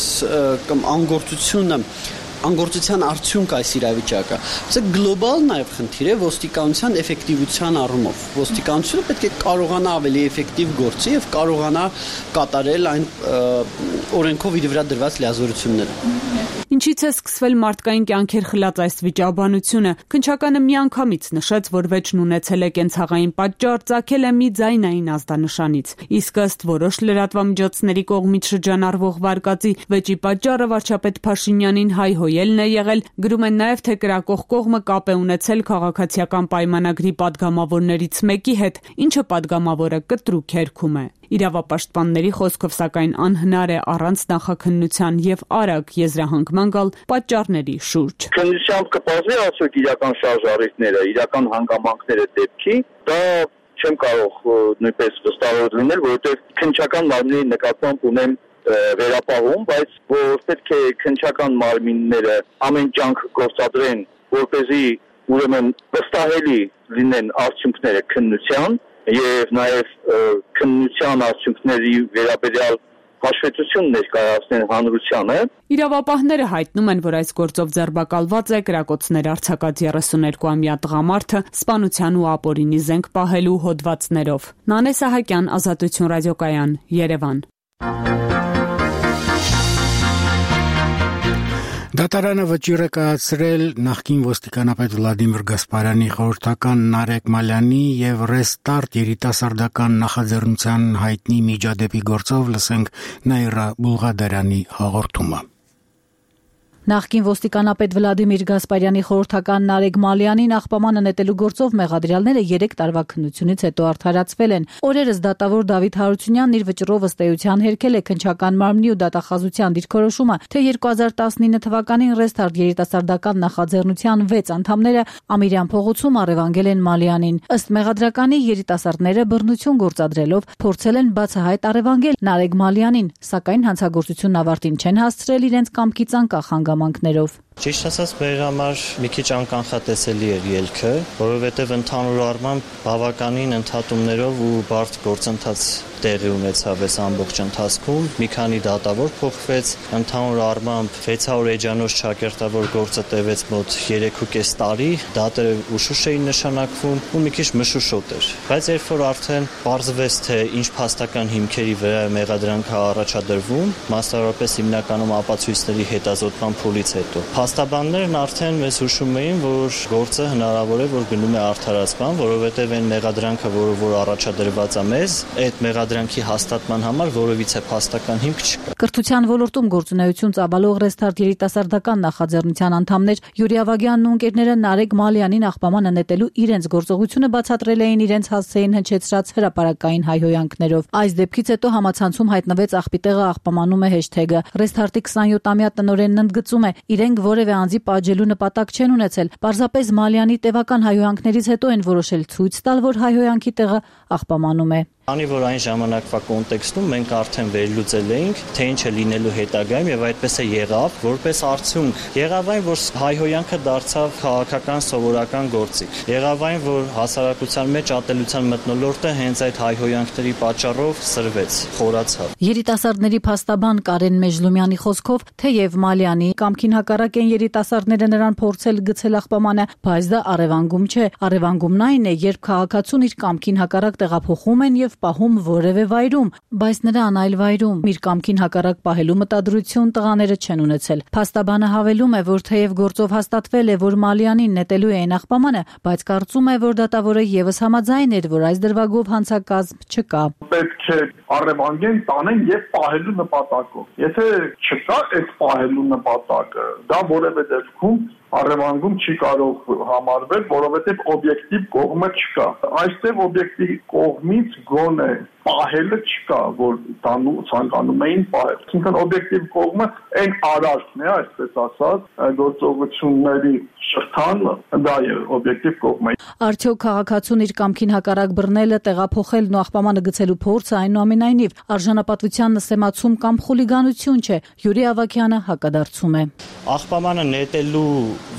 կամ անգործությունը անգործության արդյունք այս իրավիճակը։ Սա գլոբալ նաև խնդիր է ոստիկանության էֆեկտիվության առումով։ Ոստիկանությունը պետք է կարողանա ավելի էֆեկտիվ գործի եւ կարողանա կատարել այն օրենքով իր վրա դրված լիազորությունները։ Ինչից է սկսվել մարդկային կյանքեր խլած այս վիճաբանությունը։ Քննչականը միանգամից նշեց, որ վեճն ունեցել է կենցաղային պատճառ, ծագել է մի ձայնային ազդանշանից։ Իսկ ըստ որոշ լրատվամիջոցների կողմից շրջանառվող վարկածի, վեճի պատճառը վարչապետ Փաշինյանին հայհոյելն է եղել, գրում են նաև, թե կրակող կողմը կապ է ունեցել քաղաքացիական պայմանագրի падգամավորներից մեկի հետ, ինչը падգամավորը կտրուկ հերքում է։ Իրավապաշտպանների խոսքով սակայն անհնար է առանց նախաքննության եւ արագ եզրահանգման գալ պատճառների շուրջ։ Քննությամբ կպարզվի արդյոք իրական շարժառիթները, իրական հանգամանքները դեպքի, դա չեմ կարող նույնպես վստահ լինել, որովհետեւ քննչական մարմնի նկատմամբ ունեմ վերապահում, բայց որ պետք է քննչական մարմինները ամեն ջանք գործադրեն, որպեսզի ուրեմն վստահելի լինեն արդյունքները քննության եւ նաեւ քննության արդյունքների վերաբերյալ հաշվետվություն ներկայացնեն հանրությանը։ Իրավապահները հայտնում են, որ այս գործով ձերբակալված է կրակոցներ արձակած երեսուներկուամյա տղամարդը սպանության ու ապօրինի զենք պահելու հոդվածներով։ Նանե Սահակյան, Ազատություն ռադիոկայան, Երևան։ Դատարանը վճիռ է կայացրել նախկին ոստիկանապետ Վլադիմիր Գասպարյանի խորհրդական Նարեկ Մալյանի եւ Ռեստարտ երիտասարդական նախաձեռնության հայտնի միջադեպի գործով լսենք Նաիրա Բուլղադարյանի հաղորդումը։ Նախկին ոստիկանապետ Վլադիմիր Գասպարյանի խորհրդական Նարեկ Մալյանին աղբամանը նետելու գործով մեղադրյալները երեք տարվա քննությունից հետո արդարացվել են։ Օրերս դատավոր Դավիթ Հարությունյանն իր վճռով ըստ էության հերքել է քննչական մարմնի ու դատախազության դիրքորոշումը, թե երկու հազար տասնինը թվականին Ռեստարտ երիտասարդական նախաձեռնության վեց անդամները Ամիրյան փողոցում առևանգել են Մալյանին։ Ըստ մեղադրականի երիտասարդները բռնություն գործադրելով փորձել են բացահայտ առևանգել Նարեկ Մալյանին, սակայն հանցագործությունն ավարտին չեն հասցրել իրենց կամքից անկախ հանգամանքներով։ Ճիշտ ասած, մեր համար մի քիչ անկանխատեսելի էր ելքը, որովհետև ընդհանուր առմամբ բավականին ընդհատումներով ու բարդ գործընթաց տեղի ունեցավ այս ամբողջ ընթացքում։ Մի քանի դատավոր փոխվեց, ընդհանուր առմամբ վեցսուն էջանոց ճակերտավոր գործը տևեց մոտ երեք ու կես տարի, դատերը ուշուշ էին նշանակվում ու մի քիչ մշուշոտ էր։ Բայց երբ որ արդեն պարզվեց, թե ինչ փաստական հիմքերի վրա մեղադրանք է առաջադրվում, մասնավորապես հիմնականում ապացույցների հետազոտման փուլից հետո, փաստաբաններն արդեն մեզ հուշում էին, որ գործը հնարավոր է, որ գնում է արդարացման, որովհետև այն մեղադրանքը, որը որ առաջադրված է մեզ, այդ մեղադրանքի հաստատման համար որևիցե փաստական հիմք չկա։ Կրթության ոլորտում գործունեություն ծավալող Ռեստարտ երիտասարդական նախաձեռնության անդամներ Յուրի Ավագյանն ու ընկերները Նարեկ Մալյանին աղբամանը նետելու իրենց գործողությունը բացատրել էին իրենց հասցեին հնչեցրած հրապարակային հայհոյանքներով։ Այս դեպքից հետո համացանցում հայտնվեց աղբիտեղը աղբամանում է հեշթեգը։ Ռեստարտի քսանյոթամյա տնօրենն ընդգծում է, իրենք որևէ անձի պատժելու նպատակ չեն ունեցել։ Պարզապես Մալյանի տևական հայհոյանքներից հետո են որոշել ցույց տալ, որ հայհոյանքի տեղը աղբամանում է։ Քանի որ այն ժամանակվա կոնտեքստում մենք արդեն վերլուծել էինք, թե ինչ է լինելու հետագայում եւ այդպես է եղավ, որպես արդյունք եղավ այն, որ հայհոյանքը դարձավ քաղաքական սովորական գործիք։ Եղավ այն, որ հասարակության մեջ ատելության մթնոլորտը հենց այդ հայհոյանքների պատճառով սրվեց, խորացավ։ Երիտասարդների փաստաբան Կարեն Մեժլումյանի խոսքով, թեև Մալյանի կամքին հակառակ են երիտասարդները նրան փորձել գցել աղբամանը, բայց դա առևանգում չէ։ Առևանգումն այն է, երբ քաղաքացուն իր կամքին հակառակ տեղափոխում են եւ պահում որևէ վայրում, բայց նրան այլ վայրում իր կամքին հակառակ պահելու մտադրություն տղաները չեն ունեցել։ Փաստաբանը հավելում է, որ թեև գործով հաստատվել է, որ Մալյանին նետելու էին աղբամանը, բայց կարծում է, որ դատավորը եւս համաձայն էր, որ այս դրվագով հանցակազմ չկա։ Պետք է առևանգեն, տանեն եւ պահելու նպատակով։ Եթե չկա այդ պահելու նպատակը, դա որևէ դեպքում առևանգում չի կարող համարվել, որովհետև օբյեկտիվ կողմը չկա։ Այստեղ օբյեկտիվ կողմից գոնե պահելը չկա, որ տանու ցանկանում էին պահել։ Այսինքն օբյեկտիվ կողմը այն արարքն է, այսպես ասած, գործողությունների շղթան դա է օբյեկտիվ կողմը։ Արդյոք քաղաքացուն իր կամքին հակառակ բռնելը, տեղափոխելն ու աղբամանը գցելու փորձը այնուամենայնիվ արժանապատվության նսեմացում կամ խուլիգանություն չէ։ Յուրի Ավագյանը հակադարձում է։ Աղբամանը նետելու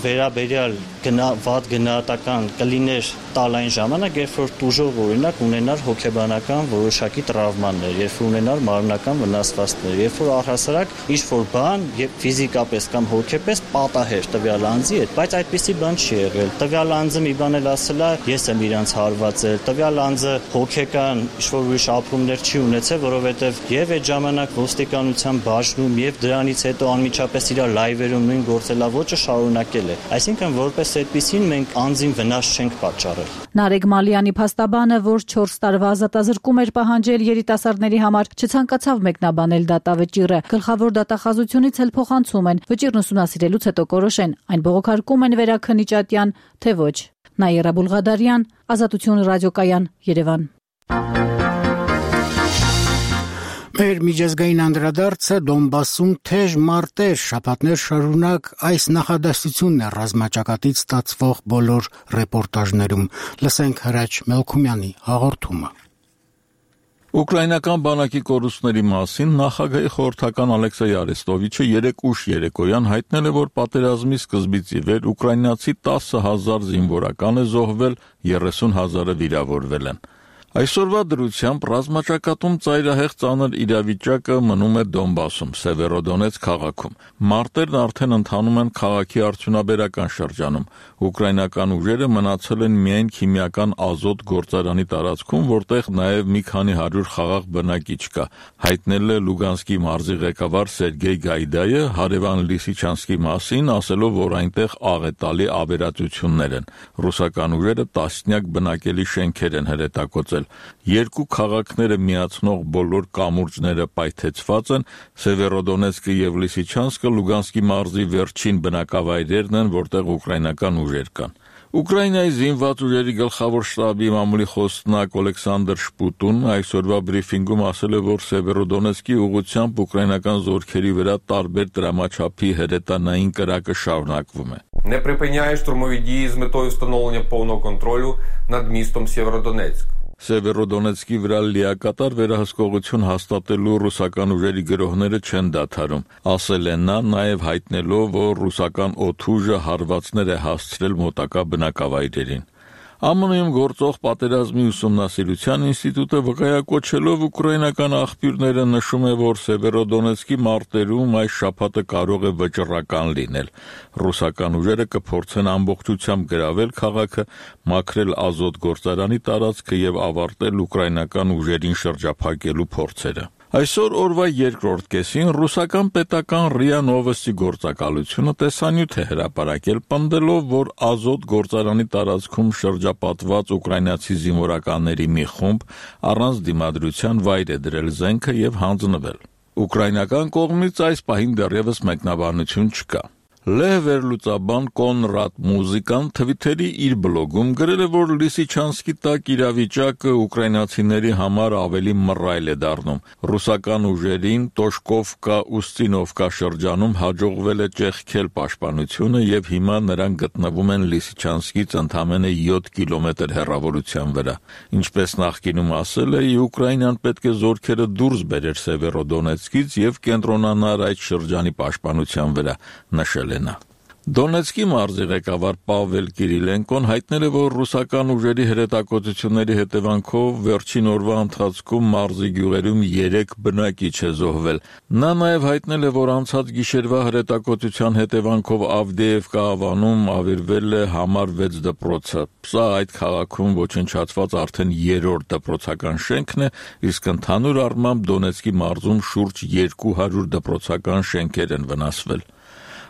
վերաբերյալ գնա վատ գնահատական կլիներ տալ այն ժամանակ, երբ որ տուժող օրինակ ունենար հոգեբանական որոշակի տրավմաներ, երբ որ ունենար մարմնական վնասվածքներ, երբ որ առհասարակ ինչ-որ բան եւ ֆիզիկապես կամ հոգեպես պատահեր տվյալ անձի հետ, բայց այդպիսի բան չի եղել։ Տվյալ անձը մի բան էլ ասել է, ես եմ իրանց հարվածել, տվյալ անձը հոգեկան ինչ-որ ուրիշ ապրումներ չի ունեցել, որովհետեւ եւ այդ ժամանակ ոստիկանության բաժնում եւ դրանից հետո անմիջապես իր լայվերում նույն գործելավոճը շարունակել է։ Այսինքն որպես այդպիսին մենք անձին վնաս չենք պատճառել։ Նարեկ Մալյանի փաստաբանը, որ չորս տարվա ազատազրկում էր պահանջել երիտասարդների համար, չցանկացավ մեկնաբանել դատավճիռը։ Գլխավոր դատախազությունից էլ փոխանցում են, վճիռն ուսումնասիրելուց հետո կորոշեն, այն բողոքարկում են վերաքննիչատյան, թե ոչ։ Նաիրա Բուլղադարյան, Ազատություն ռադիոկայան, Երևան։ Մեր միջազգային անդրադարձը Դոնբասում թեժ մարտեր շաբաթներ շարունակ այս նախադասությունն է ռազմաճակատից ստացվող բոլոր ռեպորտաժներում։ Լսենք Հրաչ Մելքումյանի հաղորդումը։ Ուկրաինական բանակի կորուստների մասին նախագահի խորհրդական Ալեքսեյ Արեստովիչը երեկ ուշ երեկոյան հայտնել է, որ պատերազմի սկզբից ի վեր ուկրաինացի տասը հազար զինվորական է զոհվել, երեսուն հազարը վիրավորվել են։ Այսօրվա դրությամբ ռազմաճակատում ծայրահեղ ծանր իրավիճակը մնում է Դոնբասում, Սևերոդոնեցկ քաղաքում։ Մարտերն արդեն ընթանում են քաղաքի արդյունաբերական շրջանում։ Ուկրաինական ուժերը մնացել են միայն քիմիական ազոտ գործարանի տարածքում, որտեղ նաև մի քանի հարյուր խաղաղ բնակիչ կա, հայտնել է Լուգանսկի մարզի ղեկավար Սերգեյ Գայդայը հարևան Լիսիչանսկի մասին, ասելով, որ այնտեղ աղետալի ավերածություններ են։ Ռուսական ուժերը տասնյակ բնակելի շենքեր են հրետակոծել։ Երկու քաղաքները միացնող բոլոր կամուրջները պայթեցված են, Սևերոդոնեցկը եւ Լիսիչանսկը Լուգանսկի մարզի վերջին բնակավայրերն են, որտեղ ուկրաինական ուժեր կան։ Ուկրաինայի զինված ուժերի գլխավոր շտաբի մամուլի խոսնակ Օլեքսանդր Շպուտուն այսօրվա բրիֆինգում ասել է, որ Սևերոդոնեցկի ուղղությամբ ուկրաինական զորքերի վրա տարբեր դրամաչափի հրետանային կրակը շարունակվում է։ Не припиняє штурмові дії з метою встановлення повного контролю над містом Сєвєродонецьк. Սևերոդոնեցկի վրա լիակատար վերահսկողություն հաստատելու ռուսական ուժերի գրոհները չեն դադարում, ասել է նա, նաև հայտնելով, որ ռուսական օդուժը հարվածներ է հասցրել մոտակա բնակավայրերին։ Է Մ-ում գործող պատերազմի ուսումնասիրության ինստիտուտը վկայակոչելով ուկրաինական աղբյուրները նշում է, որ Սևերոդոնեցկի մարտերում այս շաբաթը կարող է վճռական լինել։ Ռուսական ուժերը կփորձեն ամբողջությամբ գրավել քաղաքը, մաքրել ազոտ գործարանի տարածքը եւ ավարտել ուկրաինական ուժերին շրջափակելու փորձերը։ Այսօր օրվա երկրորդ կեսին ռուսական պետական ՌԻԱ Նովոստի գործակալությունը տեսանյութ է հրապարակել, պնդելով, որ ազոտ գործարանի տարածքում շրջապատված ուկրաինացի զինվորականների մի խումբ առանց դիմադրության վայր է դրել զենքը եւ հանձնվել։ Ուկրաինական կողմից այս պահին դեռևս մեկնաբանություն չկա։ Լեհ վերլուծաբան Կոնրադ Մուզիկան Թվիթերի իր բլոգում գրել է, որ Լիսիչանսկի տակ իրավիճակը ուկրաինացիների համար ավելի մռայլ է դառնում։ Ռուսական ուժերին Տոշկովկա Ուստինովկա շրջանում հաջողվել է ճեղքել պաշտպանությունը եւ հիմա նրանք գտնվում են Լիսիչանսկից ընդամենը յոթ կիլոմետր հեռավորության վրա։ Ինչպես նախկինում ասել է, Ուկրաինան պետք է զորքերը դուրս բերեր Սևերոդոնեցկից եւ կենտրոնանար այդ շրջանի պաշտպանության վրա, նշել Դոնեցկի մարզի ղեկավար Պավել Կիրիլենկոն հայտնել է, որ ռուսական ուժերի հրետակոծությունների հետևանքով վերջին օրվա ընթացքում մարզի գյուղերում երեք բնակիչ է զոհվել։ Նա նաև հայտնել է, որ անցած գիշերվա հրետակոծության հետևանքով Ավդեևկա ավանում ավերվել է համար վեց դպրոցը։ Սա այդ քաղաքում ոչնչացված արդեն երրորդ դպրոցական շենքն է, իսկ ընդհանուր առմամբ Դոնեցկի մարզում շուրջ երկու հարյուր դպրոցական շենքեր են վնասվել։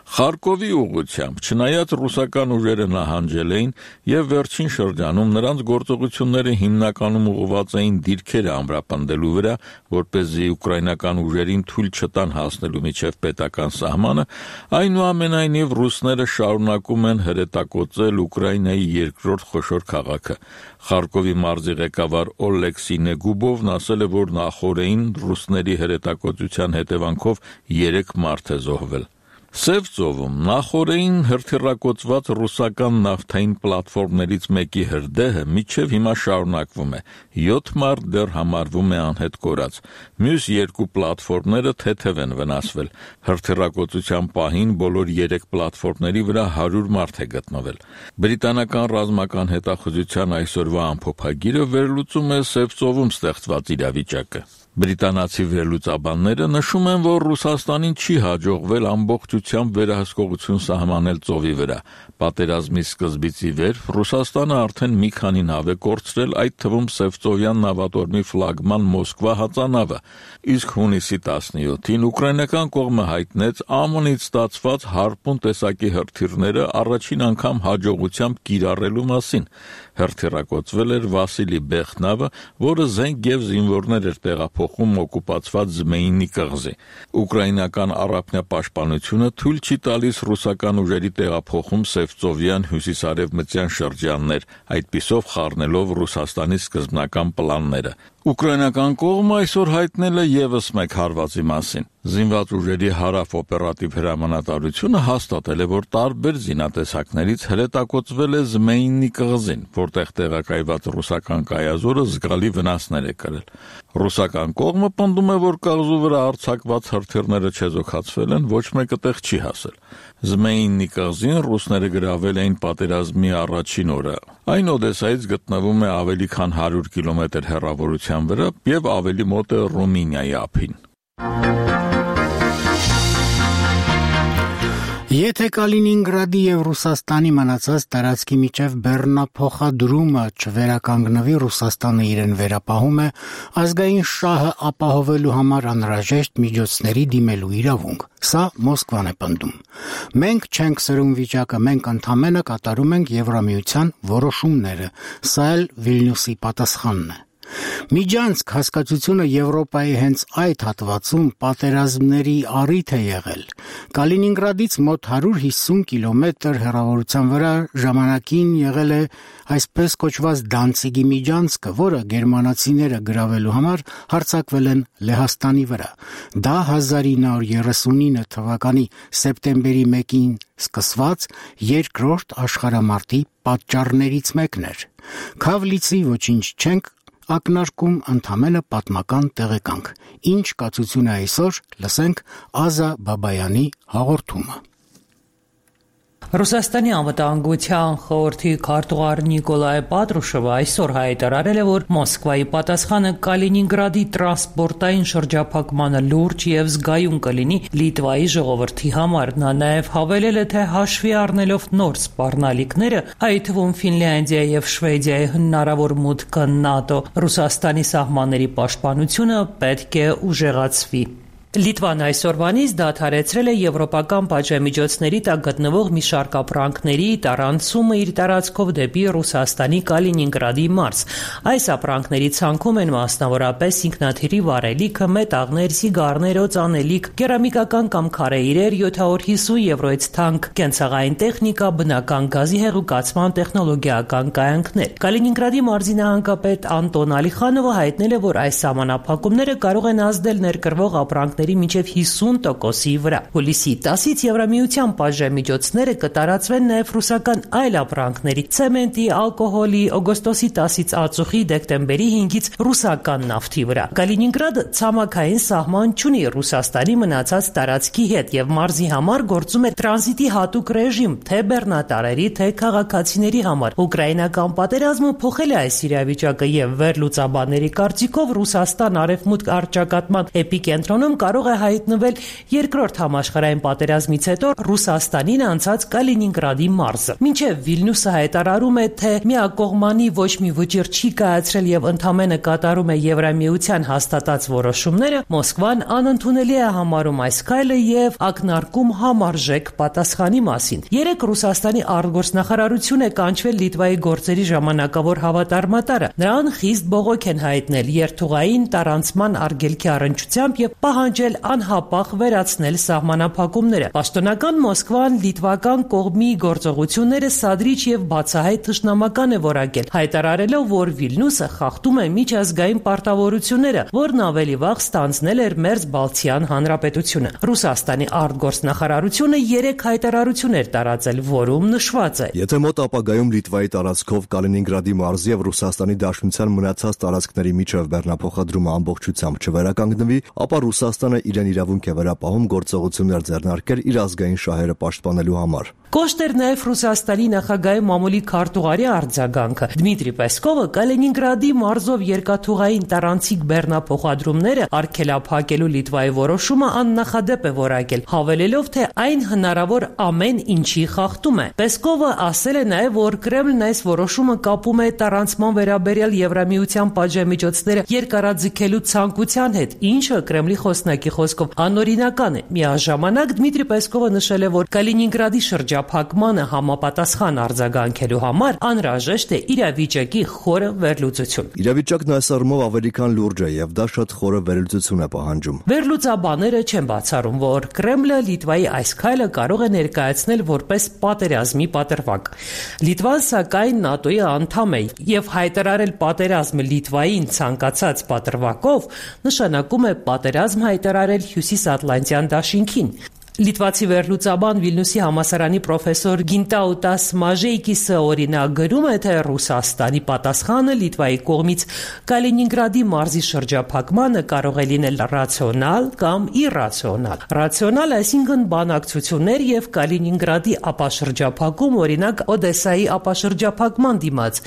Խարկովի ուղղությամբ, չնայած ռուսական ուժերը նահանջել էին եւ վերջին շրջանում նրանց գործողությունները հիմնականում ուղղված էին դիրքերը ամրապնդելու վրա, որպեսզի ուկրաինական ուժերին թույլ չտան հասնելու միջև պետական սահմանը, այնուամենայնիվ ռուսները շարունակում են հրետակոծել Ուկրաինայի երկրորդ խոշոր քաղաքը։ Խարկովի մարզի ղեկավար Օլեքսի Նեգուբովն ասել է, որ նախօրեին ռուսների հրետակոծության հետևանքով երեք մարդ է զոհվել։ Սև ծովում նախօրեին հրթիռակոծված ռուսական նավթային պլատֆորմներից մեկի հրդեհը մինչև հիմա շարունակվում է։ յոթ մարդ դեռ համարվում է անհետ կորած։ Մյուս երկու պլատֆորմները թեթև են վնասվել։ Հրթիռակոծության պահին բոլոր երեք պլատֆորմների վրա հարյուր մարդ է գտնվել։ Բրիտանական ռազմական հետախուզության այսօրվա ամփոփագիրը վերլուծում է Սև ծովում ստեղծված իրավիճակը։ Բրիտանացի վերլուծաբանները նշում են, որ Ռուսաստանին չի հաջողվել ամբողջությամբ վերահսկողություն սահմանել ծովի վրա։ Պատերազմի սկզբից ի վեր Ռուսաստանը արդեն մի քանի նավ է կորցրել, այդ թվում Սևծովյան նավատորմի ֆլագման Մոսկվա հածանավը, իսկ հունիսի տասնյոթին ուկրաինական կողմը հայտնեց Է Մ-նից ստացված Հարպուն տեսակի հրթիռները առաջին անգամ հաջողությամբ կիրառելու մասին։ Հրթիռակոծվել էր Վասիլի Բեխ նավը, որը զենք եւ զինվորներ էր տեղափոխում օկուպացված Զմեյնի կղզի։ Ուկրաինական առափնյա պաշտպանությունը թույլ չի տալիս ռուսական ուժերի տեղափոխում Սևծովյան հյուսիսարևմտյան շրջաններ, այդպիսով խառնելով Ռուսաստանի սկզբնական պլանները։ Ուկրաինական կողմը այսօր հայտնել է եւս մեկ հարվածի մասին։ Զինված ուժերի հարավ օպերատիվ հրամանատարությունը հաստատել է, որ տարբեր զինատեսակներից հրետակոծվել է Զմեյնի կղզին, որտեղ տեղակայված ռուսական կայազորը զգալի վնասներ է կրել։ Ռուսական կողմը պնդում է, որ կղզու վրա արձակված հրթիռները չեզոքացվել են, ոչ մեկը տեղ չի հասել։ Զմեյնի կղզին ռուսները գրավել էին պատերազմի առաջին օրը։ Այն Օդեսայից գտնվում է ավելի քան հարյուր կիլոմետր հեռավորության վրա եւ ավելի մոտ է Ռումինիայի ափին։ Եթե Կալինինգրադի եւ Ռուսաստանի մնացած տարածքի միջև բեռնափոխադրումը չվերականգնվի, Ռուսաստանը իրեն վերապահում է ազգային շահը ապահովելու համար անհրաժեշտ միջոցների դիմելու իրավունք։ Սա Մոսկվան է պնդում։ Մենք չենք սրում վիճակը, մենք ընդամենը կատարում ենք Եվրամիության որոշումները։ Սա էլ Վիլնյուսի պատասխանն է։ Միջանցք հասկացությունը Եվրոպայի հենց այդ հատվածում պատերազմների առիթ է եղել։ Կալինինգրադից մոտ հարյուր հիսուն կիլոմետր հեռավորության վրա ժամանակին եղել է այսպես կոչված Դանցիգի միջանցքը, որը գերմանացիները գրավելու համար հարձակվել են Լեհաստանի վրա։ Դա հազար ինը հարյուր երեսունինը թվականի սեպտեմբերի մեկին սկսված երկրորդ աշխարհամարտի պատճառներից մեկն էր։ Քավլիցի ոչինչ չենք ակնարկում, ընդամենը պատմական տեղեկանք։ Ինչ կացություն է այսօր, լսենք Ազա Բաբայանի հաղորդումը։ Ռուսաստանի անվտանգության խորհրդի քարտուղար Նիկոլայ Պատրուշովը այսօր հայտարարել է, որ Մոսկվայի պատասխանը Կալինինգրադի տրանսպորտային շրջափակմանը լուրջ եւ զգայուն կլինի Լիտվայի ժողովրդի համար։ Նա նաեւ հավելել է, թե հաշվի առնելով նոր սպառնալիքները, այդ թվում Ֆինլանդիայի եւ Շվեդիայի հնարավոր մուտքը ՆԱՏՕ, Ռուսաստանի սահմանների պաշտպանությունը պետք է ուժեղացվի։ Լիտվան այսօրվանից դադարեցրել է եվրոպական պատժամիջոցների տակ գտնվող մի շարք ապրանքների տարանցումը իր տարածքով դեպի Ռուսաստանի Կալինինգրադի մարզ։ Այս ապրանքների ցանկում են մասնավորապես ինքնաթիռի վառելիքը, մետաղներ, սիգարներ, օծանելիք, կերամիկական կամ քարե իրեր, յոթ հարյուր հիսուն եվրոյից թանկ կենցաղային տեխնիկա, բնական գազի հեղուկացման տեխնոլոգիական կայանքներ։ Կալինինգրադի մարզի նահանգապետ Անտոն Ալիխանովը հայտնել է, որ այս սահմանափակումները կարող են ազդել ներկրվող ապրանքների մինչև հիսուն տոկոսի վրա։ Հուլիսի տասից Եվրամիության պատժամիջոցները կտարածվեն նաև ռուսական այլ ապրանքների՝ ցեմենտի, ալկոհոլի, օգոստոսի տասից ածուխի, դեկտեմբերի հինգից ռուսական նավթի վրա։ Կալինինգրադը ցամաքային սահման չունի Ռուսաստանի մնացած տարածքի հետ եւ մարզի համար գործում է տրանզիտի հատուկ ռեժիմ թե բեռնատարերի, թե քաղաքացիների համար։ Ուկրաինական պատերազմը փոխել է այս իրավիճակը եւ վերլուծաբանների կարծիքով Ռուսաստան արևմուտք առճակատման էպիկենտրոնում կարող է հայտնվել երկրորդ համաշխարհային պատերազմից հետո Ռուսաստանին անցած Կալինինգրադի մարզը։ Մինչև Վիլնյուսը հայտարարում է, թե միակողմանի ոչ մի վճիռ չի կայացրել եւ ընդամենը կատարում է Եվրամիության հաստատած որոշումները, Մոսկվան անընդունելի է համարում այս քայլը եւ ակնարկում համարժեք պատասխանի մասին։ Երեք Ռուսաստանի արտգործնախարարություն է կանչվել Լիտվայի գործերի ժամանակավոր հավատարմատարը։ Նրան խիստ բողոք են հայտնել երթուղային տարանցման արգելքի առնչությամբ եւ պահանջել անհապաղ վերացնել սահմանափակումները։ Պաշտոնական Մոսկվան լիտվական կողմի գործողությունները սադրիչ եւ բացահայտ թշնամական է որակել, հայտարարելով, որ Վիլնյուսը խախտում է միջազգային պարտավորությունները, որն ավելի վաղ ստանձնել էր Մերձբալթյան հանրապետությունը։ Ռուսաստանի արտգործնախարարությունը երեք հայտարարություն էր տարածել, որում նշված է. Եթե մոտ ապագայում Լիտվայի տարածքով Կալինինգրադի մարզի եւ Ռուսաստանի Դաշնության մնացած տարածքների միջև բեռնափոխադրումը ամբողջությամբ չվերականգնվի, ապա Ռուսաստանը իրեն իրավունք է վերապահում գործողություններ ձեռնարկել իր ազգային շահերը պաշտպանելու համար։ Կոշտ էր նաև Ռուսաստանի նախագահի մամուլի քարտուղարի արձագանքը։ Դմիտրի Պեսկովը Կալինինգրադի մարզով երկաթուղային տարանցիկ բեռնափոխադրումները արգելափակելու Լիտվայի որոշումը աննախադեպ է որակել, հավելելով, թե այն հնարավոր ամեն ինչի խախտում է։ Պեսկովը ասել է նաև, որ Կրեմլն այս որոշումը կապում է տարանցման վերաբերյալ Եվրամիության պատժամիջոցները երկարաձգելու ցանկության հետ, ինչը Կրեմլի խոսնակի խոսքով անօրինական է։ Միաժամանակ Դմիտրի Պեսկովը նշել է, որ Կալինինգրադի շրջափակմանը համապատասխան արձագանքելու համար անհրաժեշտ է իրավիճակի խորը վերլուծություն։ Իրավիճակն այս առումով ավելի քան լուրջ է եւ դա շատ խորը վերլուծություն է պահանջում։ Վերլուծաբանները չեն բացառում, որ Կրեմլը Լիտվայի այս քայլը կարող է ներկայացնել որպես պատերազմի պատրվակ։ Լիտվան սակայն ՆԱՏՕ-ի անդամ է եւ հայտարարել պատերազմը Լիտվային ցանկացած պատրվակով նշանակում է պատերազմ հայտարարել Հյուսիսատլանտյան դաշինքին։ Լիտվացի վերլուծաբան Վիլնյուսի համալսարանի պրոֆեսոր Գինտաուտաս Մաժեյկիսը օրինակ գրում է, թե Ռուսաստանի պատասխանը Լիտվայի կողմից Կալինինգրադի մարզի շրջափակմանը կարող է լինել ռացիոնալ կամ իրացիոնալ։ Ռացիոնալ, այսինքն բանակցություններ եւ Կալինինգրադի ապաշրջափակում, օրինակ Օդեսայի ապաշրջափակման դիմաց,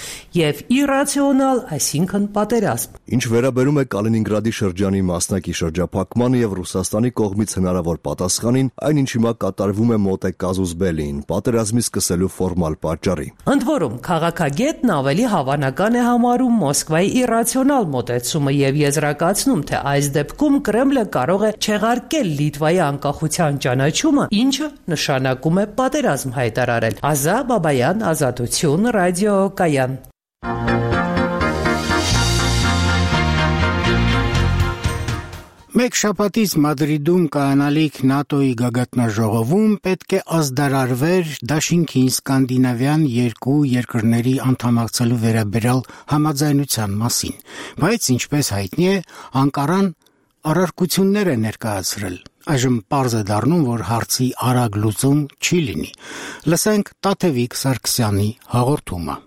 եւ իրացիոնալ, այսինքն պատերազմ։ Ինչ վերաբերում է Կալինինգրադի շրջանի մասնակի շրջափակմանը եւ Ռուսաստանի կողմից հնարավոր պատասխանին, այն ինչ հիմա կատարվում է մոտ է կազուս բելիին, պատերազմի սկսելու ֆորմալ պատճառի։ Ընդ որում, քաղաքագետն ավելի հավանական է համարում Մոսկվայի իրացիոնալ մոտեցումը եւ եզրակացնում, թե այս դեպքում Կրեմլը կարող է չեղարկել Լիտվայի անկախության ճանաչումը, ինչը նշանակում է պատերազմ հայտարարել։ Ազա Բաբայան, Ազատություն, Ռադիո Կայան։ Մեկ շաբաթից Մադրիդում կայանալիք ՆԱՏՕ-ի գագաթնաժողովում պետք է ազդարարվեր դաշինքին սկանդինավյան երկու երկրների անդամակցելու վերաբերյալ համաձայնության մասին, բայց ինչպես հայտնի է, Անկարան առարկություններ է ներկայացրել։ Այժմ պարզ է դառնում, որ հարցի արագ լուծում չի լինի։ Լսենք Տաթևիկ Սարգսյանի հաղորդումը։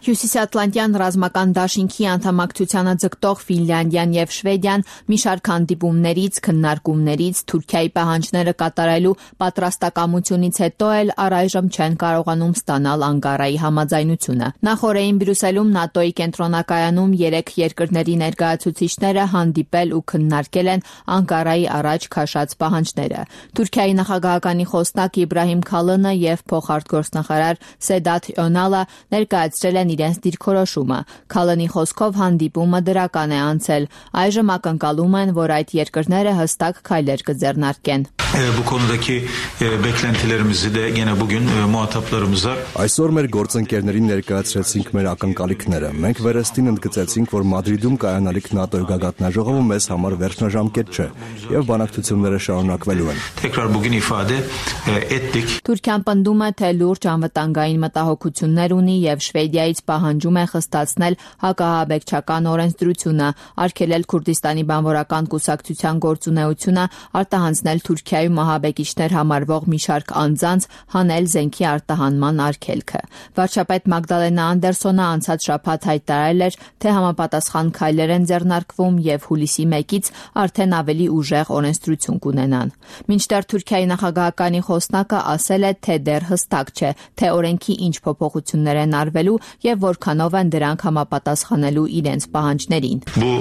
Հյուսիսատլանտյան ռազմական դաշինքի անդամակցությանը ձգտող Ֆինլանդիան եւ Շվեդիան մի շարք հանդիպումներից, քննարկումներից, Թուրքիայի պահանջները կատարելու պատրաստակամությունից հետո էլ առայժմ չեն կարողանում ստանալ Անկարայի համաձայնությունը։ Նախորդին Բրյուսելում ՆԱՏՕ-ի կենտրոնակայանում երեք երկրների ներկայացուցիչները հանդիպել ու քննարկել են Անկարայի առաջ քաշած պահանջները։ Թուրքիայի նախագահականի խոսնակ Իբրահիմ Քալինը եւ փոխարտգործնախարար Սեդաթ Օնալը ներկայացրել են իրենց դիրքորոշումը։ Քալինի խոսքով հանդիպումը դրական է անցել։ Այժմ ակնկալում են, որ այդ երկրները հստակ քայլեր կձեռնարկեն։ Bu konudaki beklentilerimizi de gene bugün muhataplarımıza Այսօր մեր գործընկերներին ներկայացրեցինք մեր ակնկալիքները։ Մենք վերստին ընդգծեցինք, որ Մադրիդում կայանալիք ՆԱՏՕ-ի գագաթնաժողովը մեզ համար վերջնաժամկետ չէ եւ բանակցությունները շարունակվելու են։ Tekrar bugün ifade ettik. Թուրքիան պնդում է, թե լուրջ անվտանգային մտահոգություններ ունի եւ Շվեդիայից պահանջում է խստացնել հակահաբեկչական օրենսդրությունը, արգելել Քուրդիստանի բանվորական կուսակցության գործունեությունը, արտահանձնել Թուրքիայում մահաբեկիչներ համարվող մի շարք անձանց, հանել զենքի արտահանման արգելքը։ Վարչապետ Մագդալենա Անդերսոնը անցած շաբաթ հայտարարել էր, թե համապատասխան քայլեր են ձեռնարկվում եւ հուլիսի մեկից արդեն ավելի ուժեղ օրենսդրություն կունենան։ Մինչդեռ Թուրքիայի նախագահականի խոսնակը ասել է, թե դեռ հստակ չէ, թե օրենքի ինչ փոփոխություններ են արվելու եւ որքանով են դրանք համապատասխանելու իրենց պահանջներին։ Bu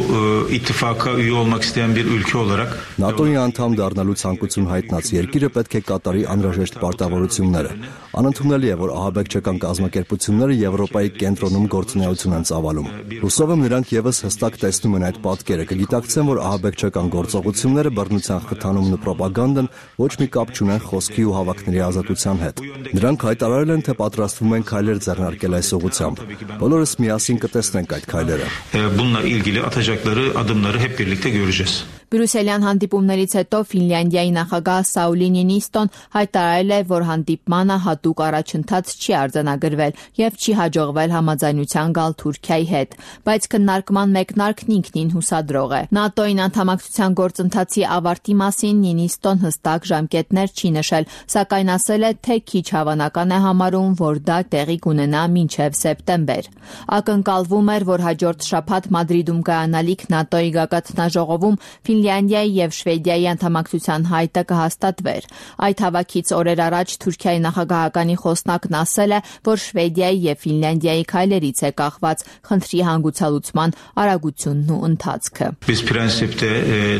ittifaka üye olmak isteyen bir ülke olarak ՆԱՏՕ-ի անդամ դառնալու ցանկություն հայտնած երկիրը պետք է կատարի անհրաժեշտ պարտավորությունները։ Անընդունելի է, որ ահաբեկչական կազմակերպությունները Եվրոպայի կենտրոնում գործունեություն են ծավալում։ Հուսով եմ նրանք եւս հստակ տեսնում են այդ պատկերը, կգիտակցեն, որ ահաբեկչական գործողությունները բռնության խթանումն ու պրոպագանդան ոչ մի կապ չունեն խոսքի ու հավաքների ազատության հետ։ Նրանք հայտարարել են, թե պատրաստվում են քայլեր ձեռնարկել այս ուղղությամբ։ Բոլորս միասին կտեսնենք այդ քայլերը։ Bununla ilgili atacakları adımları hep birlikte göreceğiz. Բրյուսելյան հանդիպումներից հետո Ֆինլանդիայի նախագահ Սաուլի Նինիստոն հայտարարել է, որ հանդիպմանը հատուկ առաջընթաց չի արձանագրվել եւ չի հաջողվել համաձայնության գալ Թուրքիայի հետ, բայց քննարկման մեկնարկն ինքնին հուսադրող է։ ՆԱՏՕ-ին անդամակցության գործընթացի ավարտի մասին Նինիստոն հստակ ժամկետներ չի նշել, սակայն ասել է, թե քիչ հավանական է համարում, որ դա տեղի կունենա մինչև սեպտեմբեր։ Ակնկալվում էր, որ հաջորդ շաբաթ Մադրիդում կայանալիք ՆԱՏՕ-ի գագաթնաժողովում Ֆինլանդիայի եւ Շվեդիայի անդամակցության հայտը կհաստատվեր։ Այդ հավաքից օրեր առաջ Թուրքիայի նախագահականի խոսնակն ասել է, որ Շվեդիայի եւ Ֆինլանդիայի քայլերից է կախված խնդրի հանգուցալուծման արագությունն ու ընթացքը։ Biz prensipte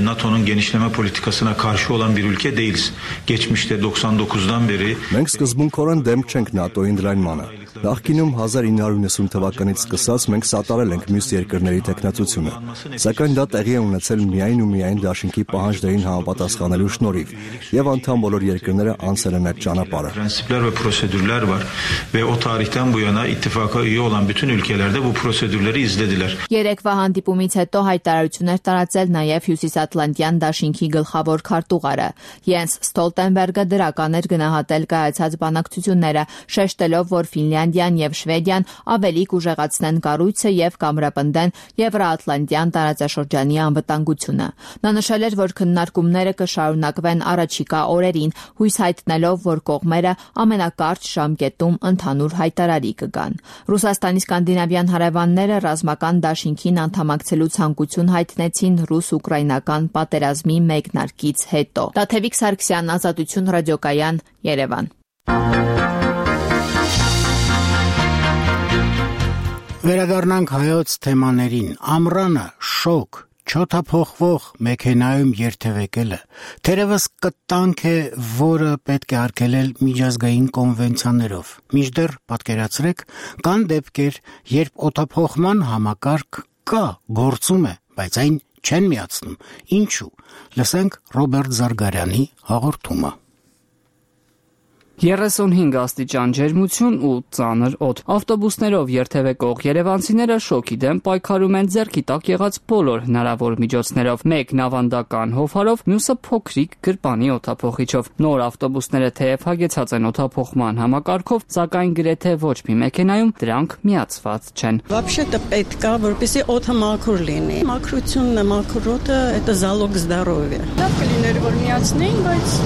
NATO'nun genişleme politikasına karşı olan bir ülke değiliz. Geçmişte doksan dokuzdan beri Մենք սկզբունքորեն դեմ չենք ՆԱՏՕ-ի ընդլայնմանը։ Նախկինում հազար ինը հարյուր նվաթ թվականից սկսած մենք սատարել ենք մյուս երկրների տեխնացությունը, սակայն դա տեղի է ունեցել միայն ու միայն դաշինքի պահանջներին համապատասխանելու շնորհիվ, եւ անդամ բոլոր երկրները անցել են այդ ճանապարհը։ Prensipler ve prosedürler var ve o tarihten bu yana ittifaka üye olan bütün ülkelerde bu prosedürleri izlediler. Երեկվա հանդիպումից հետո հայտարարություններ տարածել նաեւ Հյուսիսատլանտյան դաշինքի գլխավոր քարտուղարը Յենս Ստոլտենբերգը դրական էր գնահատել կայացած բանակցությունները, շեշտելով, որ Ֆինլանդիան Ֆինլանդիան եւ Շվեդիան ավելի կուժեղացնեն կառույցը եւ կամրապնդեն Եվրոատլանտյան տարածաշրջանի անվտանգությունը։ Նա նշել էր, որ քննարկումները կշարունակվեն առաջիկա օրերին, հույս հայտնելով, որ կողմերը ամենակարճ ժամկետում ընդհանուր հայտարարի կգան։ Ռուսաստանի սկանդինավյան հարևանները ռազմական դաշինքին անդամակցելու ցանկություն հայտնեցին ռուս-ուկրաինական պատերազմի մեկնարկից հետո։ Տաթևիկ Սարգսյան, Ազատություն ռադիոկայան, Երևան։ Վերադառնանք հայոց թեմաներին։ Ամռանը շոկ, չոթափողվող մեքենայում երթևեկելը թերևս կտանք է, որը պետք է արգելել միջազգային կոնվենցիաներով։ Մինչդեռ պատկերացրեք, կան դեպքեր, երբ օդափոխման համակարգ կա, գործում է, բայց այն չեն միացնում։ Ինչու՞։ Լսենք Ռոբերտ Զարգարյանի հաղորդումը։ երեսունհինգ աստիճան ջերմություն ու ծանր օդ։ Ավտոբուսներով երթևեկող երևանցիները շոկի դեմ պայքարում են ձեռքի տակ եղած բոլոր հնարավոր միջոցներով։ Մեկն ավանդական հովհարով, մյուսը փոքրիկ գրպանի օդափոխիչով։ Նոր ավտոբուսները թեև հագեցած են օդափոխման համակարգով, սակայն գրեթե ոչ մի մեքենայում դրանք միացված չեն։ Вообще-то պետք է, որպեսզի օդը մաքուր լինի։ Մաքրությունն է, մաքուր օդը, это залог здоровья։ Լավ կլիներ, որ միացնեին, բայց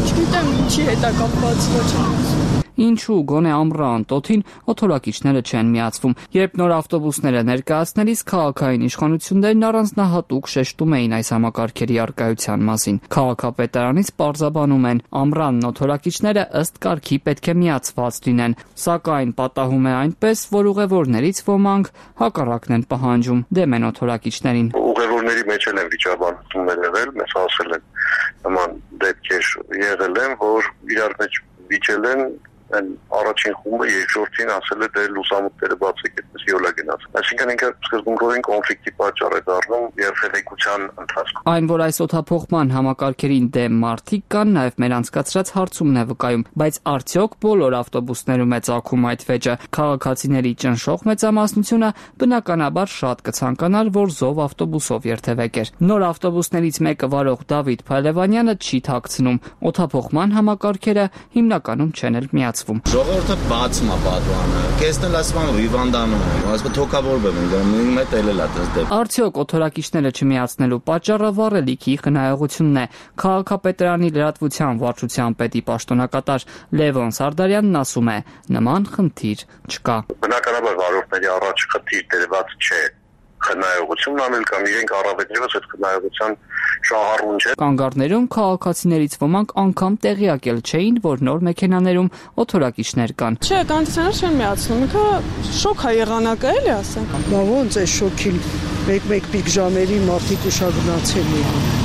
չգիտեմ ինչի հետ է կապված, ոչ եմ։ Ինչու գոնե ամռան տոթին օդորակիչները չեն միացվում։ Երբ նոր ավտոբուսները ներկայացնելիս քաղաքային իշխանություններն առանձնահատուկ շեշտում էին այս համակարգերի առկայության մասին։ Քաղաքապետարանից պարզաբանում են, ամռանն օդորակիչները ըստ կարգի պետք է միացված լինեն, սակայն պատահում է այնպես, որ ուղևորներից ոմանք հակառակն են պահանջում, դեմ են օդորակիչներին։ Ուղևորների մեջ են վիճաբանություններ եղել, մեզ ասել են նման դեպքեր եղել են, որ իրար մեջ վիճել են են առաջին խումբը, երկրորդին ասել է դե լուսամուտները բացեք, այդպես յոլա գնաց։ Այսինքն ինքը սկզբունքորեն կոնֆլիկտի պատճառ է դառնում երթևեկության ընթացքում։ Այն, որ այս օդափոխման համակարգերին դեմ մարդիկ կան, նաև մեր անցկացրած հարցումն է վկայում, բայց արդյոք բոլոր ավտոբուսներում է ծագում այդ վեճը։ Քաղաքացիների ճնշող մեծամասնությունը բնականաբար շատ կցանկանար, որ զով ավտոբուսով երթևեկեր։ Նոր ավտոբուսներից մեկը վարող Դավիթ Փայլևանյանը չի թաքցնում, օդափոխման համակարգերը հիմնականում չեն էլ միացվում։ Ժողովուրդը բացում է պատուանը։ Կեսնել ասում են հիվանդանում են, ասում թոքավորվում են, նույն մետ էլել է դες դեպ։ Արդյոք օդորակիչները չմիացնելու պատճառը վառելիքի խնայողությունն է։ Քաղաքապետարանի լրատվության վարչության պետի պաշտոնակատար Լևոն Սարդարյանն ասում է, նման խնդիր չկա։ Բնականաբար վարորդների առաջ խնդիր դրված չէ։ Խնայողությունն անել կամ իրենք առավել ևս այդ խնայողության շահառուն չէ։ Կանգառներում քաղաքացիներից ոմանք անգամ տեղյակ էլ չէին, որ նոր մեքենաներում օդորակիչներ կան։ Չէ, կոնդիցիոներ չեն միացնում, ինքը շոկ է եղանակը էլի ասենք։ Բա ոնց է շոքին մեկ-մեկ պիկ ժամերի մարդիկ ուշագնացել են։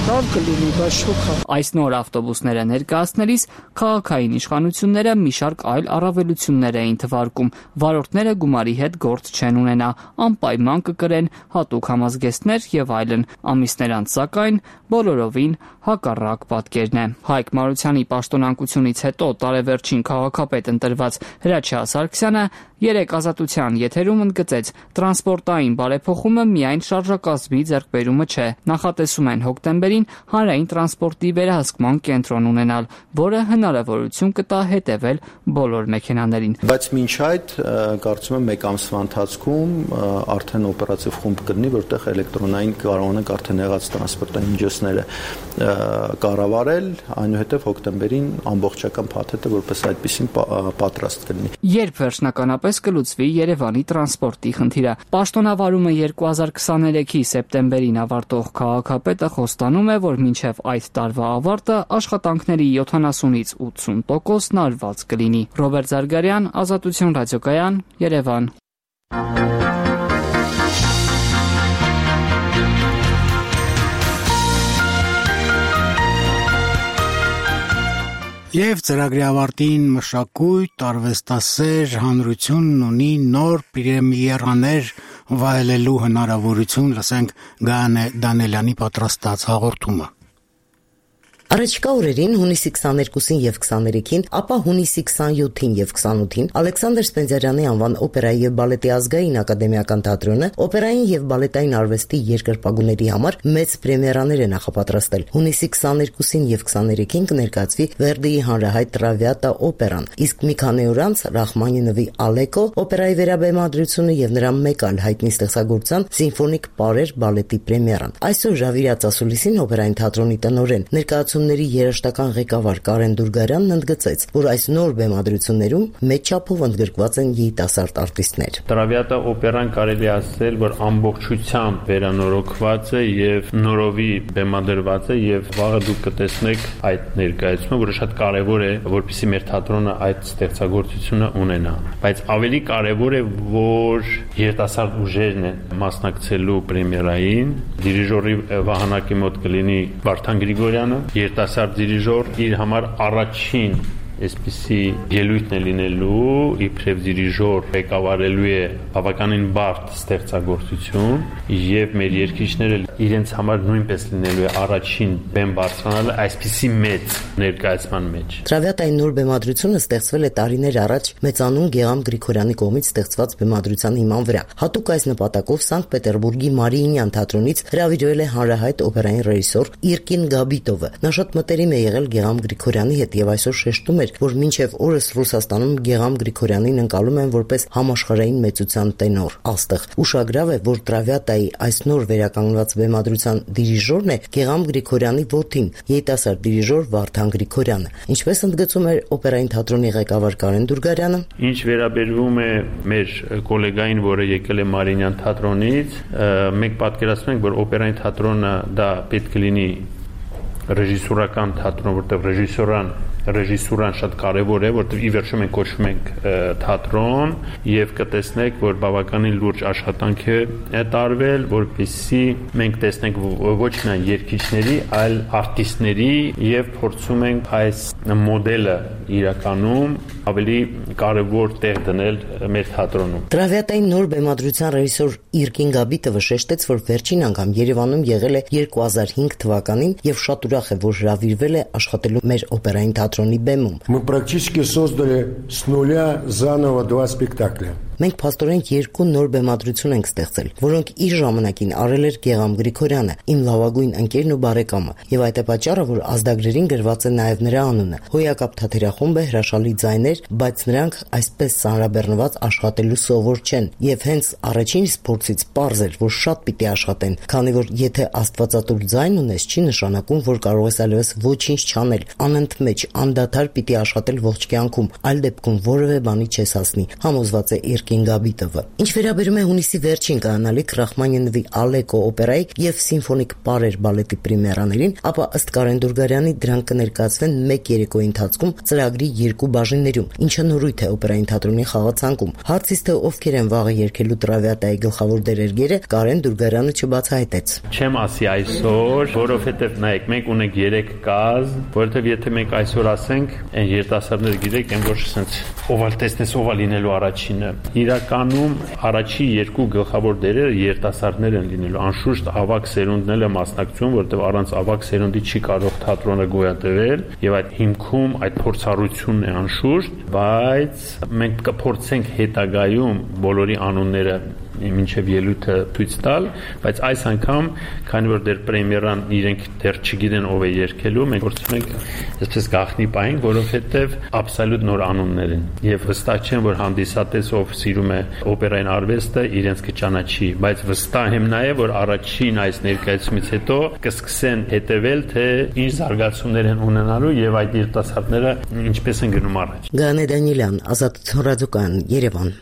Լավ կլինի, բայց շոկ է։ Այս նոր ավտոբուսները ներկայացնելիս քաղաքային իշխանությունները մի շարք այլ առավելություններ էին թվարկում։ Վարորդները գումարի հետ գործ չեն ունենա, անպայման կկրեն հատուկ համազգեստներ եւ այլն։ Ամիսներ անց սակայն բոլորովին հակառակ պատկերն է։ Հայկ Մարությանի պաշտոնակությունից հետո տարեվերջին քաղաքապետ ընտրված Հրաչյա Սարգսյանը երեք Ազատության եթերում ընդգծեց, տրանսպորտային բարեփոխումը միայն շարժակազմի ձեռքբերումը չէ։ Նախատեսում են հոկտեմբերին հանրային տրանսպորտի վերահսկման կենտրոն ունենալ, որը հնարավորություն կտա հետևել բոլոր մեքենաներին։ Բայց մինչ այդ կարծում եմ մեկ ամսվա ընթացքում արդեն օպերատիվ խումբ կլինի, որտեղ էլեկտրոնային կարողանանք արդեն եղած տրանսպորտային միջոցները կառավարել, այնուհետև հոկտեմբերին ամբողջական փաթեթը որպես այդպեսին պատրաստ կլինի։ Երբ վերջնականապես կլուծվի Երևանի տրանսպորտի խնդիրը։ Պաշտոնավարումը երկու հազար քսաներեքի սեպտեմբերին ավարտող քաղաքապետը խոստանում է, որ մինչև այդ տարվա ավարտը աշխատանքների յոթանասունից ութսուն տոկոսն արված կլինի։ Ռոբերտ Զարգարյան, Ազատություն ռադիոկայան, Երևան։ Եվ ծրագրի ավարտին մշակույթ, արվեստասեր հանրությունն ունի նոր պրեմիերաներ վայելելու հնարավորություն, լսենք Գայանե Դանելյանի պատրաստած հաղորդումը։ Առաջիկա օրերին հունիսի քսաներկուսին եւ քսաներեքին, ապա հունիսի քսանյոթին եւ քսանութին Ալեքսանդր Սպենդիարյանի անվան օպերայի եւ բալետի ազգային ակադեմիական թատրոնը օպերային եւ բալետային արվեստի երկրպագուների համար մեծ պրեմիերաներ է նախապատրաստել։ Հունիսի քսաներկուսին եւ քսաներեքին կներկայացվի Վերդիի հանրահայտ Տրավիատա օպերան, իսկ մի քանի օր անց Ռախմանինովի Ալեկո օպերայի վերաբեմադրությունը եւ նրա մեկ այլ հայտնի ստեղծագործության Սիմֆոնիկ պարեր բալետի պրեմիերան։ Այսօր Ժավիրյաց ասուլիսին օպերային թատրոնի տնօրեն ներկայացումների երաժշտական ղեկավար Կարեն Դուրգարյանն ընդգծեց, որ այս նոր բեմադրություններում մեծ չափով ընդգրկված են երիտասարդ արտիստներ։ Տրավիատա օպերան կարելի ասել, որ ամբողջությամբ վերանորոգված է եւ նորովի բեմադրված է եւ վաղը դուք կտեսնեք այդ ներկայացումը, որը շատ կարեւոր է, որպեսզի մեր թատրոնը այդ ստեղծագործությունը ունենա։ Բայց ավելի կարեւոր է, որ երիտասարդ ուժերն են մասնակցելու պրեմիերային, դիրիժորի վահանակի մոտ կլինի Վարդան Գրիգորյանը, երիտասարդ դիրիժոր, իր համար առաջին այսպիսի ելույթն է լինելու, իբրև դիրիժոր ղեկավարելու է բավականին բարդ ստեղծագործություն եւ մեր երգիչները իրենց համար նույնպես լինելու է առաջին բեմ բարձրանալը այսպիսի մեծ ներկայացման մեջ։ Տրավիատայի նոր բեմադրությունը ստեղծվել է տարիներ առաջ մեծանուն Գեգամ Գրիգորյանի կողմից ստեղծված բեմադրության հիման վրա։ Հատուկ այս նպատակով Սանկտ Պետերբուրգի Մարիինյան թատրոնից հրավիրվել է հանրահայտ օպերային ռեժիսոր Իրկին Գաբիտովը։ Նա շատ մտերիմ է եղել Գեգամ Գրիգորյանի հետ եւ այսօր շեշտում որ մինչև օրս Ռուսաստանում Գեգամ Գրիգորյանին ընկալում են որպես համաշխարհային մեծության տենոր։ Աստղ ուշագրավ է, որ Տրավիատայի այս նոր վերականգնված բեմադրության դիրիժորն է Գեգամ Գրիգորյանի որդին, երիտասարդ դիրիժոր Վարդան Գրիգորյանը։ Ինչպես ընդգծում էր օպերային թատրոնի ղեկավար Կարեն Դուրգարյանը, ինչ վերաբերվում է մեր գոլեգային, որը եկել է Մարիինյան թատրոնից, մենք պատկերացնում ենք, որ օպերային թատրոնը դա պետք է լինի ռեժիսորական թատրոն, որտեղ ռեժիսորան ռեժիսուրան շատ կարևոր է, որտեղ ի վերջո մենք կոչվում ենք թատրոն եւ կտեսնեք, որ բավականին լուրջ աշխատանք է տարվել, որպեսզի մենք տեսնենք ոչ միայն երգիչների, այլ արտիստների եւ փորձում ենք այս մոդելը իրականում ավելի կարևոր տեղ դնել մեր թատրոնում։ Տրավիատայի նոր բեմադրության ռեժիսոր Իրկին Գաբիտովը շեշտեց, որ վերջին անգամ Երևանում եղել է երկու հազար հինգ թվականին եւ շատ ուրախ է, որ հրավիրվել է աշխատելու մեր օպերային թատրոնի բեմում։ Мы практически создали с нуля заново два спектакля. Մենք փաստորեն երկու նոր բեմադրություն ենք ստեղծել, որոնք իր ժամանակին արել էր Գեգամ Գրիգորյանը, իմ լավագույն ընկերն ու բարեկամը, եւ այդ է պատճառը, որ ազդագրերին գրված է նաեւ նրա անունը։ Հոյակապ թատերախումբը հրաշալի ձայներ, բայց նրանք այսպես ծանրաբեռնված աշխատելու սովոր չեն, եւ հենց առաջին փորձից պարզ էր, որ շատ պիտի աշխատեն, քանի որ եթե աստվածատուր ձայն ունես, չի նշանակում, որ կարող ես այլևս ոչինչ չանել, անընդմեջ, անդադար պիտի աշխատել ողջ կյանքում, այլ դեպքում որևէ բանի չես հասնի, համոզված է Իրկին Գաբիտովը։ Ինչ վերաբերում է հունիսի վերջին կայանալիք Ռախմանինովի Ալեկո օպերայի եւ Սիմֆոնիկ պարեր բալետի պրեմիերաներին, ապա ըստ Կարեն Դուրգարյանի դրանք կներկայացվեն մեկ երեկոյի ընթացքում ծրագրի երկու բաժիններում, ինչը նորույթ է օպերային թատրոնի խաղացանկում։ Հարցից թե ովքեր են վաղը երգելու Տրավիատայի գլխավոր դերերգերը, Կարեն Դուրգարյանը չբացահայտեց։ Չեմ ասի այսօր, որովհետեւ նայեք, մենք ունենք երեք կազմ, որովհետեւ եթե մենք այսօր ասենք, այն երիտասարդները գիտեք, այն ոչ ասենց օվալ տեսնես օվալ լինելու առաջինը։ Իրականում առաջի երկու գլխավոր դերերը երիտասարդներ են լինելու, անշուշտ ավագ սերունդն է մասնակցում, որովհետև առանց ավագ սերունդի չի կարող թատրոնը գոյատևել, եւ այդ հիմքում այդ փորձառությունն է անշուշտ, բայց մենք կփորձենք հետագայում բոլորի անունները մինչև ելույթը ցույց տալ, բայց այս անգամ, քանի որ դեռ պրեմիերան իրենք դեռ չգիտեն ով է երգելու, մենք փորձում ենք այսպես գաղտնի պահենք, որովհետև աբսոլյուտ նոր անուններ են եւ վստահ չեմ, որ հանդիսատես ով սիրում է օպերային արվեստը, իրենց կճանաչի, բայց վստահ եմ նաեւ, որ առաջին այս ներկայացումից հետո կսկսեն հետեւել, թե ինչ զարգացումներ են ունենալու եւ այդ երիտասարդները ինչպես են գնում առաջ։ Գանե Դանիելյան, Ազատություն ռադիոկայան, Երևան։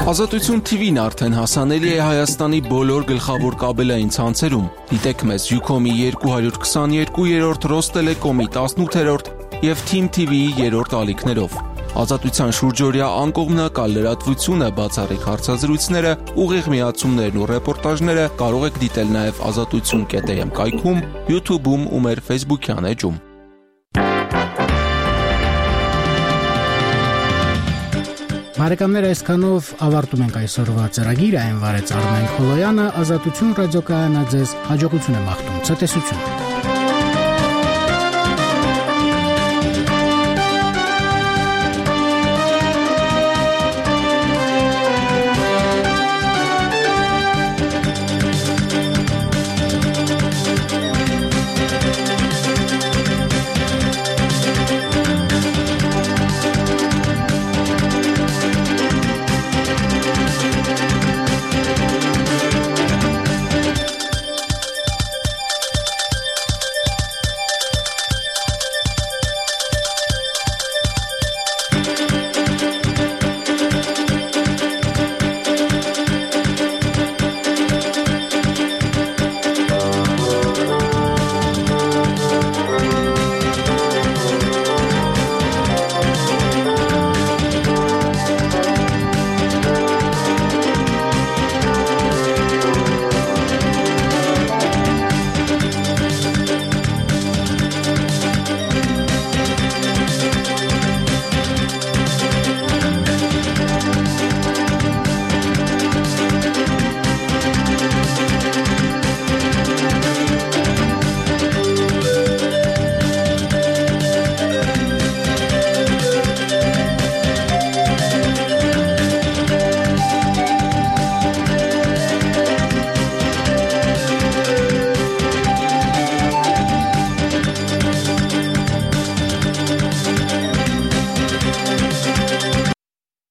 Ազատություն թի վին արդեն հասանելի է Հայաստանի բոլոր գլխավոր կաբելային ցանցերում։ Դիտեք մեզ Ucom-ի երկու հարյուր քսաներկու երրորդ, Ռոստելեկոմի տասնութերորդ եւ Թիմ թի վիի երրորդ ալիքներով։ Ազատության շուրջօրյա անկողմնակալ լրատվությունը, բացառիկ հարցազրույցները, ուղիղ միացումներն ու ռեպորտաժները կարող եք դիտել նաեւ ազատություն կետ էմ կայքում, YouTube-ում ու մեր Facebook-յան էջում։ Բարեկամներ, այսքանով ավարտում ենք այսօրվա ծրագիրը, այն վարեց Արմեն Խոլոյանը, Ազատություն ռադիոկայանը ձեզ հաջողություն է մաղթում, ցտեսություն։